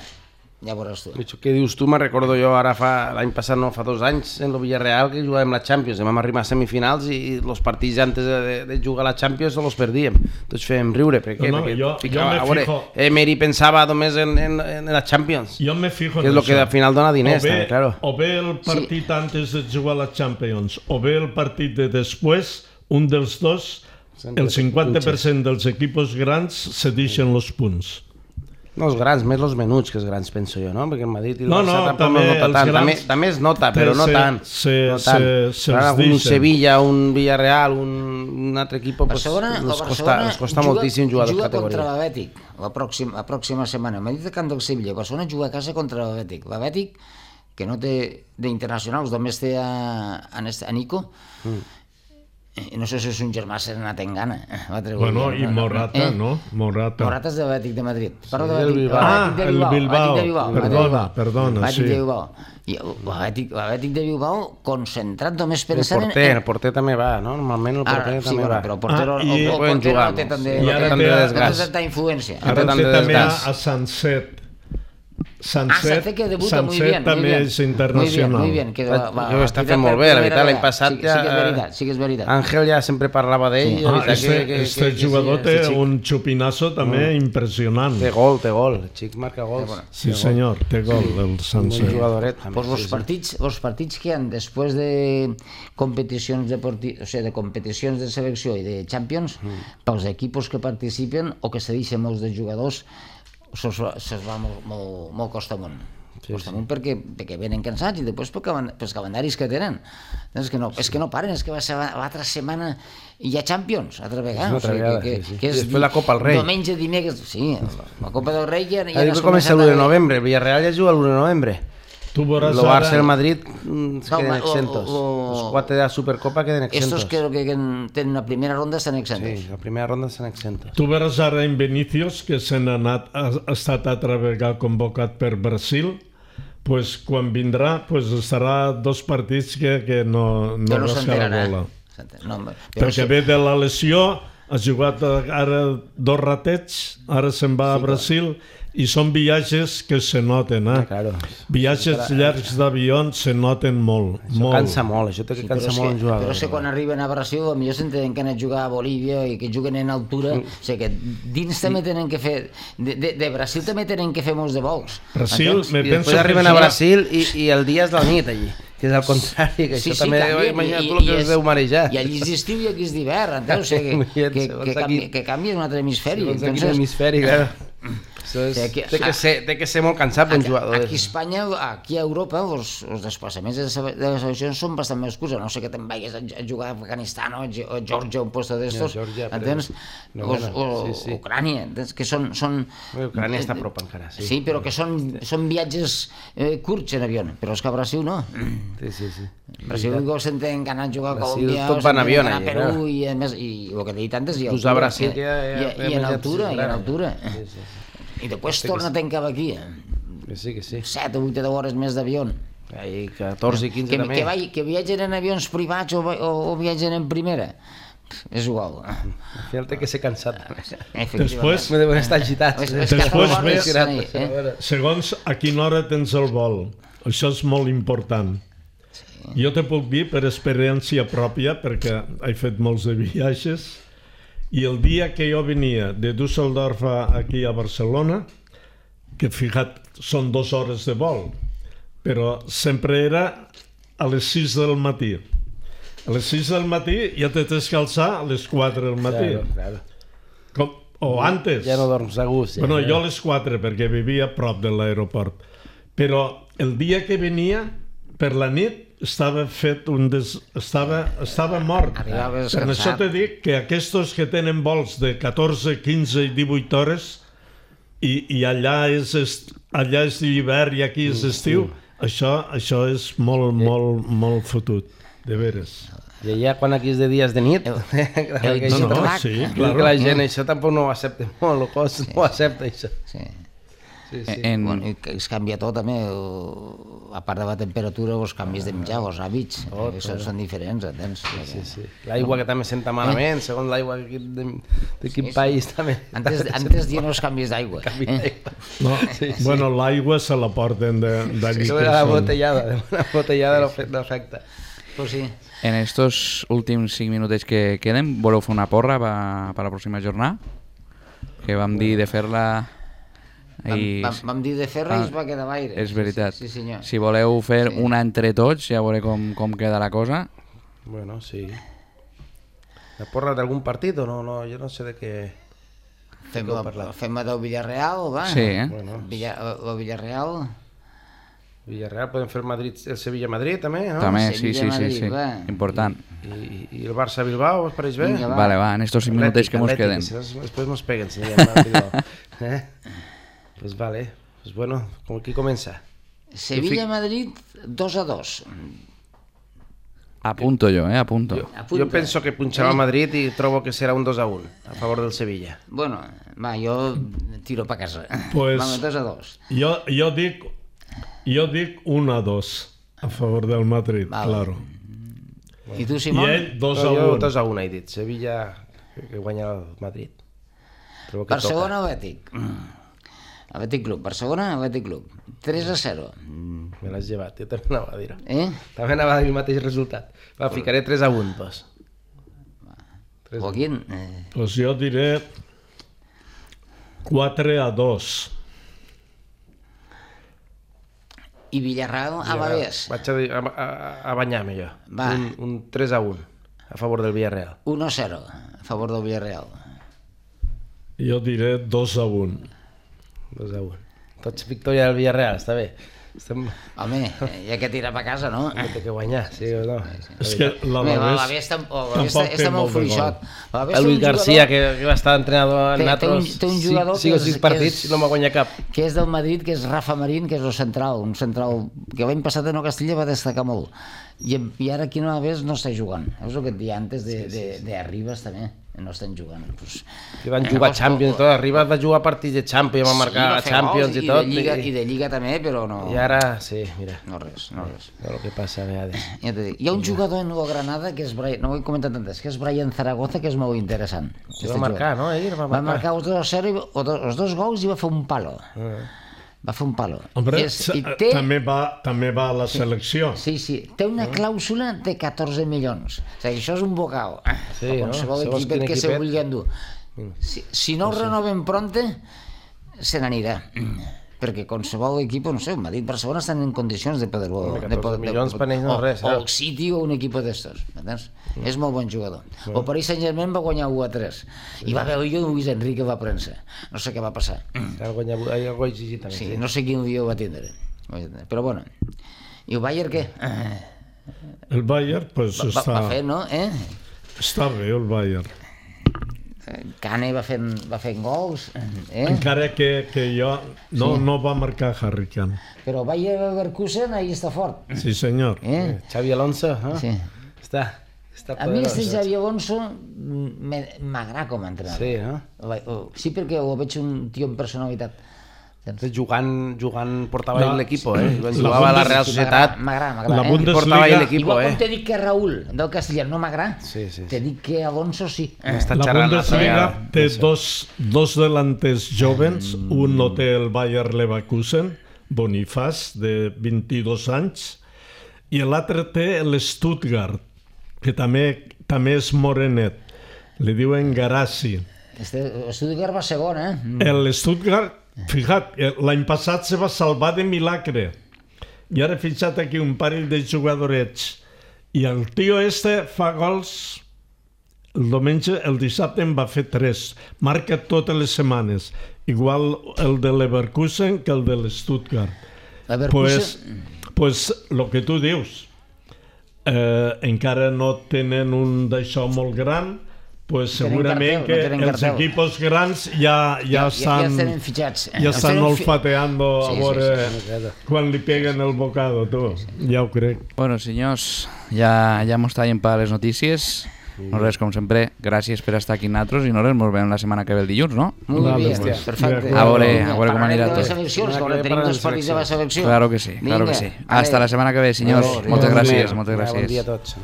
Speaker 2: ja veuràs tu.
Speaker 1: Això que dius tu, me recordo jo ara fa l'any passat, no, fa dos anys, en el Villarreal, que jugàvem la Champions, vam arribar a semifinals i els partits antes de, de jugar a la Champions no els perdíem. Tots fèiem riure, per què?
Speaker 3: No, no,
Speaker 1: Perquè
Speaker 3: jo,
Speaker 1: ficava,
Speaker 3: jo me
Speaker 1: a veure,
Speaker 3: fijo...
Speaker 1: Emery pensava només en, en, en la Champions,
Speaker 3: Jo me fijo
Speaker 1: que
Speaker 3: en
Speaker 1: és el que
Speaker 3: això.
Speaker 1: al final dona diners,
Speaker 3: o bé,
Speaker 1: també, claro.
Speaker 3: O bé el partit sí. antes de jugar a la Champions, o bé el partit de després, un dels dos, el cinquanta per cent dels equipos grans se deixen els punts.
Speaker 1: No els grans, més els menuts que els grans, penso jo, no? Perquè el Madrid i el
Speaker 3: No,
Speaker 1: Barça
Speaker 3: no,
Speaker 1: tampoc
Speaker 3: també
Speaker 1: no nota
Speaker 3: els
Speaker 1: tant.
Speaker 3: grans-
Speaker 1: També, també es nota, però no
Speaker 3: se-
Speaker 1: tant.
Speaker 3: se-
Speaker 1: no tant.
Speaker 3: se- se'ls
Speaker 1: Ara, un
Speaker 3: deixen.
Speaker 1: Sevilla, un Villarreal, un, un altre equip, pues,
Speaker 2: Barcelona, el
Speaker 1: els costa,
Speaker 2: Barcelona
Speaker 1: els costa
Speaker 2: juga,
Speaker 1: moltíssim jugar de
Speaker 2: juga
Speaker 1: categoria.
Speaker 2: contra l'Atlètic la pròxima, la pròxima setmana. M'ha dit el camp del Sevilla. Barcelona juga a casa contra l'Atlètic. L'Atlètic, que no té d'internacionals, només té a, a, a Nico. Mm. No sé si és un germà Serenat en gana.
Speaker 3: Bueno, i Morata,
Speaker 2: eh?
Speaker 3: no? Morata.
Speaker 2: Morata és de l'Atlètic de Madrid. Parlo de
Speaker 1: Sí, el
Speaker 2: l'Atlètic
Speaker 1: Bilbao.
Speaker 3: Ah,
Speaker 2: de
Speaker 3: el
Speaker 2: Bilbao.
Speaker 3: Bilbao.
Speaker 2: L'Atlètic de Bilbao.
Speaker 3: Perdona, perdona,
Speaker 2: L'Atlètic
Speaker 3: sí.
Speaker 2: de Bilbao. I l'Atlètic l'Atlètic de Bilbao concentrat només
Speaker 1: El
Speaker 2: pensant en...
Speaker 1: porter, el porter també va, no? Normalment el porter
Speaker 2: Ara, sí,
Speaker 1: també
Speaker 2: bueno,
Speaker 1: va.
Speaker 2: però el porter,
Speaker 3: Ah,
Speaker 2: el,
Speaker 3: i-
Speaker 2: el, el
Speaker 1: Poden
Speaker 2: porter
Speaker 1: jugar,
Speaker 2: no té tant de,
Speaker 1: no?
Speaker 3: I ara
Speaker 2: no
Speaker 3: té
Speaker 2: té
Speaker 1: desgast.
Speaker 2: tanta influència.
Speaker 1: Ara
Speaker 3: Ara
Speaker 1: tant
Speaker 3: té
Speaker 1: de
Speaker 3: també a,
Speaker 1: desgast.
Speaker 3: a Sanset. Sanset,
Speaker 2: Ah, Sanset que debuta muy
Speaker 3: Sanset
Speaker 2: bien, muy
Speaker 3: també
Speaker 2: bien.
Speaker 3: és internacional.
Speaker 2: Muy bien, muy bien. Que va, va,
Speaker 1: Jo ho està
Speaker 2: va
Speaker 1: fent molt
Speaker 2: per
Speaker 1: bé, la
Speaker 2: primera
Speaker 1: veritat, l'any
Speaker 2: vegada.
Speaker 1: passat
Speaker 2: sí,
Speaker 1: ja...
Speaker 2: Sí que és veritat, sí que és veritat.
Speaker 1: Àngel ja sempre parlava d'ell.
Speaker 3: Sí.
Speaker 1: la
Speaker 3: Ah,
Speaker 1: veritat
Speaker 3: este,
Speaker 1: que- que-
Speaker 3: este
Speaker 1: que- que
Speaker 3: jugador
Speaker 1: sí,
Speaker 3: té
Speaker 1: este xic
Speaker 3: un xupinazo també impressionant.
Speaker 1: Té gol, té gol. El xic marca gols.
Speaker 3: Sí, senyor, té gol, el
Speaker 1: Un
Speaker 3: Sanset.
Speaker 1: jugadoret, també.
Speaker 2: Pues los
Speaker 1: sí, sí.
Speaker 2: partits, los partits que han després de competicions de, o sea, de competicions de selecció i de Champions, mm. pels equipos que participen o que se deixen molts de jugadors, se'ls va, se va molt, molt, molt costa amunt. Sí, costa amunt sí. perquè, perquè venen cansats i després pels calendaris que tenen. És que no, és que no paren, és que va ser l'altra setmana hi ha Champions, altra vegada.
Speaker 1: Una altra vegada,
Speaker 2: que,
Speaker 1: sí, sí.
Speaker 2: que és
Speaker 1: I després la Copa del Rei.
Speaker 2: Diumenge, dimecres, sí, la Copa del Rei ja, ja
Speaker 1: Ja dic que comença l'u de novembre, el Villarreal ja juga l'u de novembre.
Speaker 3: Tu veuràs
Speaker 1: El Barça i el
Speaker 3: ara...
Speaker 1: Madrid mm, es
Speaker 2: No,
Speaker 1: queden
Speaker 2: lo-
Speaker 1: exentos.
Speaker 2: lo-
Speaker 1: Los cuatro de la Supercopa queden exentos.
Speaker 2: Estos creo que tenen la primera ronda estan exentos.
Speaker 1: Sí, la primera ronda estan exentos.
Speaker 3: Tu veuràs ara en Vinicius, que se n'ha anat, ha, ha estat altra vegada convocat per Brasil, pues, quan vindrà pues, estarà dos partits que, que no, no,
Speaker 2: Que no
Speaker 3: rascarà
Speaker 2: s'enterarà.
Speaker 3: bola.
Speaker 2: No, però
Speaker 3: Perquè
Speaker 2: sí,
Speaker 3: ve de la lesió, ha jugat ara dos ratets, ara se'n va a Brasil, i són viatges que se noten, eh?
Speaker 1: Ah, claro.
Speaker 3: Viatges llargs d'avió se noten molt,
Speaker 1: Això
Speaker 3: molt.
Speaker 1: cansa molt, això té que
Speaker 2: sí, però,
Speaker 1: cansar
Speaker 2: és
Speaker 1: molt
Speaker 2: que,
Speaker 1: un jugador.
Speaker 2: però és que quan arriben a Brasil potser s'entenen que han anat a jugar a Bolívia i que juguen en altura,
Speaker 1: Mm.
Speaker 2: o sigui que dins també tenen que fer de, de, de Brasil també tenen que fer molts de vols.
Speaker 3: Brasil,
Speaker 2: Entens?
Speaker 3: me
Speaker 1: I
Speaker 3: penso
Speaker 1: després arriben
Speaker 3: que
Speaker 1: a
Speaker 3: ja-
Speaker 1: Brasil i, i el dia és la nit allí, que és al contrari, que
Speaker 2: Sí,
Speaker 1: això
Speaker 2: sí,
Speaker 1: també
Speaker 2: canvia,
Speaker 1: imagina't
Speaker 2: i-
Speaker 1: tu el que
Speaker 2: i
Speaker 1: us
Speaker 2: és-
Speaker 1: deu marejar.
Speaker 2: I allí és d'estiu i aquí és d'hivern, entens? O sigui, que,
Speaker 1: Imagina't,
Speaker 2: que,
Speaker 1: segons
Speaker 2: que,
Speaker 1: aquí-
Speaker 2: canvia, que canvia un altre hemisferi.
Speaker 1: Segons
Speaker 2: Entonces,
Speaker 1: quin hemisferi, claro. Això és,
Speaker 2: Sí, aquí-
Speaker 1: té, que ser, té que ser molt cansat per un jugador.
Speaker 2: Aquí a Espanya, aquí a Europa, els, els desplaçaments de, se- de les seleccions són bastant més curts, a no sé que te'n vagis a, a jugar a Afganistan o a Ge- o a Georgia, un puesto d'estos,
Speaker 1: No, Georgia, però-
Speaker 2: entens?
Speaker 1: no,
Speaker 2: o,
Speaker 1: bueno,
Speaker 2: o,
Speaker 1: sí, sí.
Speaker 2: Ucrània, entens? Que són... són
Speaker 1: Bé, Ucrània està a prop encara, sí.
Speaker 2: Sí, però que són, són viatges eh, curts en avió, però és que a Brasil no.
Speaker 1: Sí, sí, sí.
Speaker 2: Brasil igual s'entén que han anat a jugar a
Speaker 1: Brasil,
Speaker 2: Colòmbia,
Speaker 1: tot
Speaker 2: o
Speaker 1: va en
Speaker 2: s'entén
Speaker 1: avió,
Speaker 2: que anar a
Speaker 1: allà,
Speaker 2: Perú,
Speaker 1: clar.
Speaker 2: i, a més, i el que t'he dit antes, i
Speaker 1: Pues a Brasil
Speaker 2: que-
Speaker 1: que ja-
Speaker 2: i,
Speaker 1: ja-
Speaker 2: i,
Speaker 1: ja
Speaker 2: en
Speaker 1: ja
Speaker 2: altura, i en
Speaker 1: claro.
Speaker 2: altura.
Speaker 1: Sí, sí,
Speaker 2: I després torna a tancar aquí.
Speaker 1: Que sí, que sí.
Speaker 2: set o vuit o deu hores més d'avió.
Speaker 1: Ahí catorze i quinze
Speaker 2: Que,
Speaker 1: també.
Speaker 2: que, vai, que viatgen en avions privats o, o, o viatgen en primera. És igual.
Speaker 1: Al final té que ser cansat.
Speaker 3: Després-
Speaker 1: Me deuen estar agitats.
Speaker 2: És, és
Speaker 3: Després
Speaker 2: que
Speaker 3: ves-
Speaker 2: ves... Eh?
Speaker 3: Segons a quina hora tens el vol. Això és molt important. Jo te puc dir per experiència pròpia, perquè he fet molts de viatges, i el dia que jo venia de Düsseldorf a- aquí a Barcelona, que fija't, són dues hores de vol, però sempre era a les sis del matí. A les sis del matí ja te tens que alçar a les quatre del matí.
Speaker 1: Claro, claro.
Speaker 3: Com, o antes.
Speaker 1: Ja no dorms a gust. Ja,
Speaker 3: Bueno,
Speaker 1: ja.
Speaker 3: jo a les quatre, perquè vivia a prop de l'aeroport. Però el dia que venia, per la nit, estava fet un des... estava, estava mort.
Speaker 2: Arribaves
Speaker 3: Per això
Speaker 2: cansat.
Speaker 3: te dic que aquests que tenen vols de catorze, quinze i divuit hores i, i allà és est... allà és l'hivern i aquí és estiu, això, això és molt, molt, molt fotut, de veres.
Speaker 1: I allà quan aquí és de dies de nit,
Speaker 2: el
Speaker 1: que
Speaker 3: No,
Speaker 1: això
Speaker 3: no,
Speaker 1: tampoc-
Speaker 3: sí,
Speaker 1: Claro.
Speaker 3: claro.
Speaker 1: Que la gent això tampoc no ho accepta molt, el cos no ho accepta això.
Speaker 2: Sí.
Speaker 1: Sí, sí.
Speaker 2: En... Bueno, es canvia tot també, a part de la temperatura, els canvis de menjar, els hàbits, tot, són, són diferents, entens?
Speaker 1: Sí, sí, sí. L'aigua que també senta malament, eh? Segons l'aigua de, de quin sí, país sí. també.
Speaker 2: Antes, antes dient els canvis d'aigua. Eh?
Speaker 3: No, sí, sí. Bueno, l'aigua se la porten d'allí.
Speaker 1: Sí, la botellada, la botellada no afecta.
Speaker 2: Pues sí.
Speaker 4: En estos últims cinc minutets que queden, voleu fer una porra per a la pròxima jornada? Que vam dir de fer-la...
Speaker 2: I... Vam, vam dir de fer-la ah, i es va quedar l'aire.
Speaker 4: És veritat.
Speaker 2: Sí, sí, senyor.
Speaker 4: Si voleu fer
Speaker 2: sí.
Speaker 4: una entre tots, ja veuré com, com queda la cosa.
Speaker 1: Bueno, sí. La porra d'algun partit o no? no? Jo no sé de què...
Speaker 2: Fem la, fem la del Villarreal, va?
Speaker 4: Sí, eh?
Speaker 2: Bueno, Villa, el Villarreal...
Speaker 1: Villarreal, podem fer el Madrid, el Sevilla-Madrid també, no?
Speaker 4: També, sí, sí, sí, sí, sí. Important.
Speaker 1: I, i, i el Barça-Bilbao, us pareix bé?
Speaker 4: Vinga, va. Vale, va, en estos cinc minutets que mos queden.
Speaker 1: Si no, després mos peguen, si no eh? Pues vale, pues bueno, com qui comença?
Speaker 2: Sevilla-Madrid dos a dos.
Speaker 4: Apunto jo, eh, apunto.
Speaker 1: Jo, jo penso que punxarà el Madrid i trobo que serà un dos a un a favor del Sevilla.
Speaker 2: Bueno, va, jo tiro pa casa.
Speaker 3: Pues,
Speaker 2: Vamos, dos a dos.
Speaker 3: Jo, jo dic... Jo dic un a dos a favor del Madrid, vale. Claro.
Speaker 2: I tu, Simón?
Speaker 3: I ell dos a un.
Speaker 1: Jo dos a un he dit. Sevilla que guanya el Madrid.
Speaker 2: Barcelona o Atlètic? Atlètic Club. Barcelona o Atlètic Club? tres a zero.
Speaker 1: Me l'has llevat, jo també anava a dir-ho.
Speaker 2: Eh?
Speaker 1: També anava a dir el mateix resultat. Va, ficaré tres a un, doncs.
Speaker 2: Joaquín?
Speaker 3: Doncs jo diré quatre a dos.
Speaker 2: I Villarreal a Bavés.
Speaker 1: Vaig a, a, a, a banyar-me jo.
Speaker 2: Va.
Speaker 1: Un, un tres a un a favor del Villarreal.
Speaker 2: un a zero a favor del Villarreal.
Speaker 3: Jo diré dos a un.
Speaker 1: dos a un. Tots victòria del Villarreal, està bé. Estem...
Speaker 2: Home, hi ha que tirar per casa, no?
Speaker 1: Té que guanyar, sí o no?
Speaker 3: És que la
Speaker 2: Bavés està molt fluixot.
Speaker 1: El Luis García, que va estar entrenador en altres cinc o sis partits i no m'ha guanyat cap.
Speaker 2: Que és del Madrid, que és Rafa Marín, que és el central, un central que l'any passat en el Castilla va destacar molt. I, i ara aquí no Bavés no està jugant. És el que et deia antes de, de, de Arribas també. No estan jugant. Pues,
Speaker 1: que van jugar eh, Champions i tot. Arribas va jugar partits de Champions, va marcar sí, va Champions i, i tot.
Speaker 2: De Lliga, I de Lliga també, però no...
Speaker 1: I ara, sí, mira.
Speaker 2: No res, no res.
Speaker 1: No, el que passa a vegades.
Speaker 2: Ja t'he dit. Hi ha un jugador en el Granada, que és Brian, no ho he comentat antes, que és Brian Zaragoza, que és molt interessant.
Speaker 1: Que va marcar, no? Ell va marcar.
Speaker 2: Va marcar els dos a zero, i, o dos, els dos gols i va fer un palo. Uh -huh. Va fer un palo.
Speaker 3: Hombre, és, té... també, va, també va a la selecció.
Speaker 2: Sí, sí. Té una clàusula de catorze milions. O sigui, això és un bocau.
Speaker 1: Sí, no?
Speaker 2: Qualsevol equipet que se vulgui endur. Si, si no ho renoven pronte, se n'anirà. Perquè qualsevol equip, no sé, Madrid, Barcelona estan en condicions de poder-lo...
Speaker 1: catorze milions per ells no és res.
Speaker 2: O el City o un equip d'estos. Mm. És molt bon jugador. Mm. El Paris Saint-Germain va guanyar u a tres. Sí. I va veure jo Luis Enrique va premsa. No sé què va passar.
Speaker 1: Va guanyar, hi ha gol exigit també.
Speaker 2: Sí, sí, no sé quin dia ho va tindre. Però bueno. I el Bayern què?
Speaker 3: El Bayern, pues
Speaker 2: va,
Speaker 3: està...
Speaker 2: Va fer, no? Eh?
Speaker 3: Està bé el Bayern.
Speaker 2: Kane va fent, va fent gols. Eh?
Speaker 3: Encara que, que jo no,
Speaker 2: sí.
Speaker 3: no va marcar Harry Kane.
Speaker 2: Però Bayer Leverkusen ahí està fort.
Speaker 3: Sí, senyor.
Speaker 2: Eh?
Speaker 1: Xavi Alonso, eh?
Speaker 2: Sí.
Speaker 1: Està, està
Speaker 2: a mi este Xavi Alonso m'agrada com a entrenador.
Speaker 1: Sí, no?
Speaker 2: Sí, perquè ho veig un tio amb personalitat.
Speaker 1: Jugant, jugant portava ell l'equip, eh? Jugava a la Real Societat.
Speaker 2: M'agrada, m'agrada.
Speaker 3: La Bundesliga...
Speaker 1: Portava ell l'equip, eh?
Speaker 2: Igual com t'he dit que Raúl del Castellà no m'agrada,
Speaker 1: sí, sí, sí.
Speaker 2: t'he dit que Alonso sí.
Speaker 3: La Bundesliga té dos, dos delanters jovens, mm. un no té el Bayer Leverkusen, Bonifaz, de vint-i-dos anys, i l'altre té el Stuttgart, que també, també és morenet, li diuen Garassi.
Speaker 2: El Stuttgart va segon, eh?
Speaker 3: El Stuttgart, fixa't, l'any passat se va salvar de milagre i ara fixa't aquí un parell de jugadorets i el tio este fa gols el diumenge, el dissabte en va fer tres, marca totes les setmanes, igual el de Leverkusen que el de l'Stuttgart. Pues, pues el que tu dius, eh, encara no tenen un d'això molt gran, pues segurament que els equipos grans ja, ja, estan,
Speaker 2: ja, fitxats.
Speaker 3: ja estan olfateando a veure quan li peguen el bocado, tu. Ja ho crec.
Speaker 4: Bueno, senyors, ja, ja mos tallen per les notícies. No res, com sempre, gràcies per estar aquí amb nosaltres i no res, ens veiem la setmana que ve el dilluns, no?
Speaker 2: Molt bé,
Speaker 3: Hòstia.
Speaker 2: perfecte.
Speaker 4: A veure, a veure com anirà
Speaker 2: Parlarem de les
Speaker 4: tot.
Speaker 2: eleccions, que ara tenim dos partits de la selecció.
Speaker 4: Claro que sí, claro que sí. Hasta la setmana que ve, senyors.
Speaker 2: Adéu,
Speaker 4: Moltes
Speaker 2: adéu.
Speaker 4: gràcies, moltes
Speaker 1: Bon
Speaker 4: gràcies.
Speaker 1: dia a tots.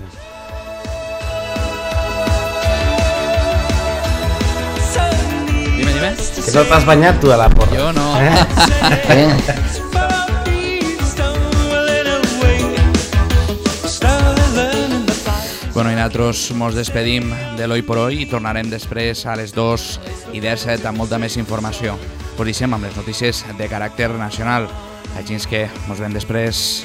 Speaker 4: Dime, dime.
Speaker 1: Que no t'has banyat tu a la porra.
Speaker 4: Jo no.
Speaker 2: Eh?
Speaker 4: Bueno, i nosaltres mos despedim de l'Hoy por Hoy i tornarem després a les dos i disset amb molta més informació. Us deixem amb les notícies de caràcter nacional. Així que mos veiem després.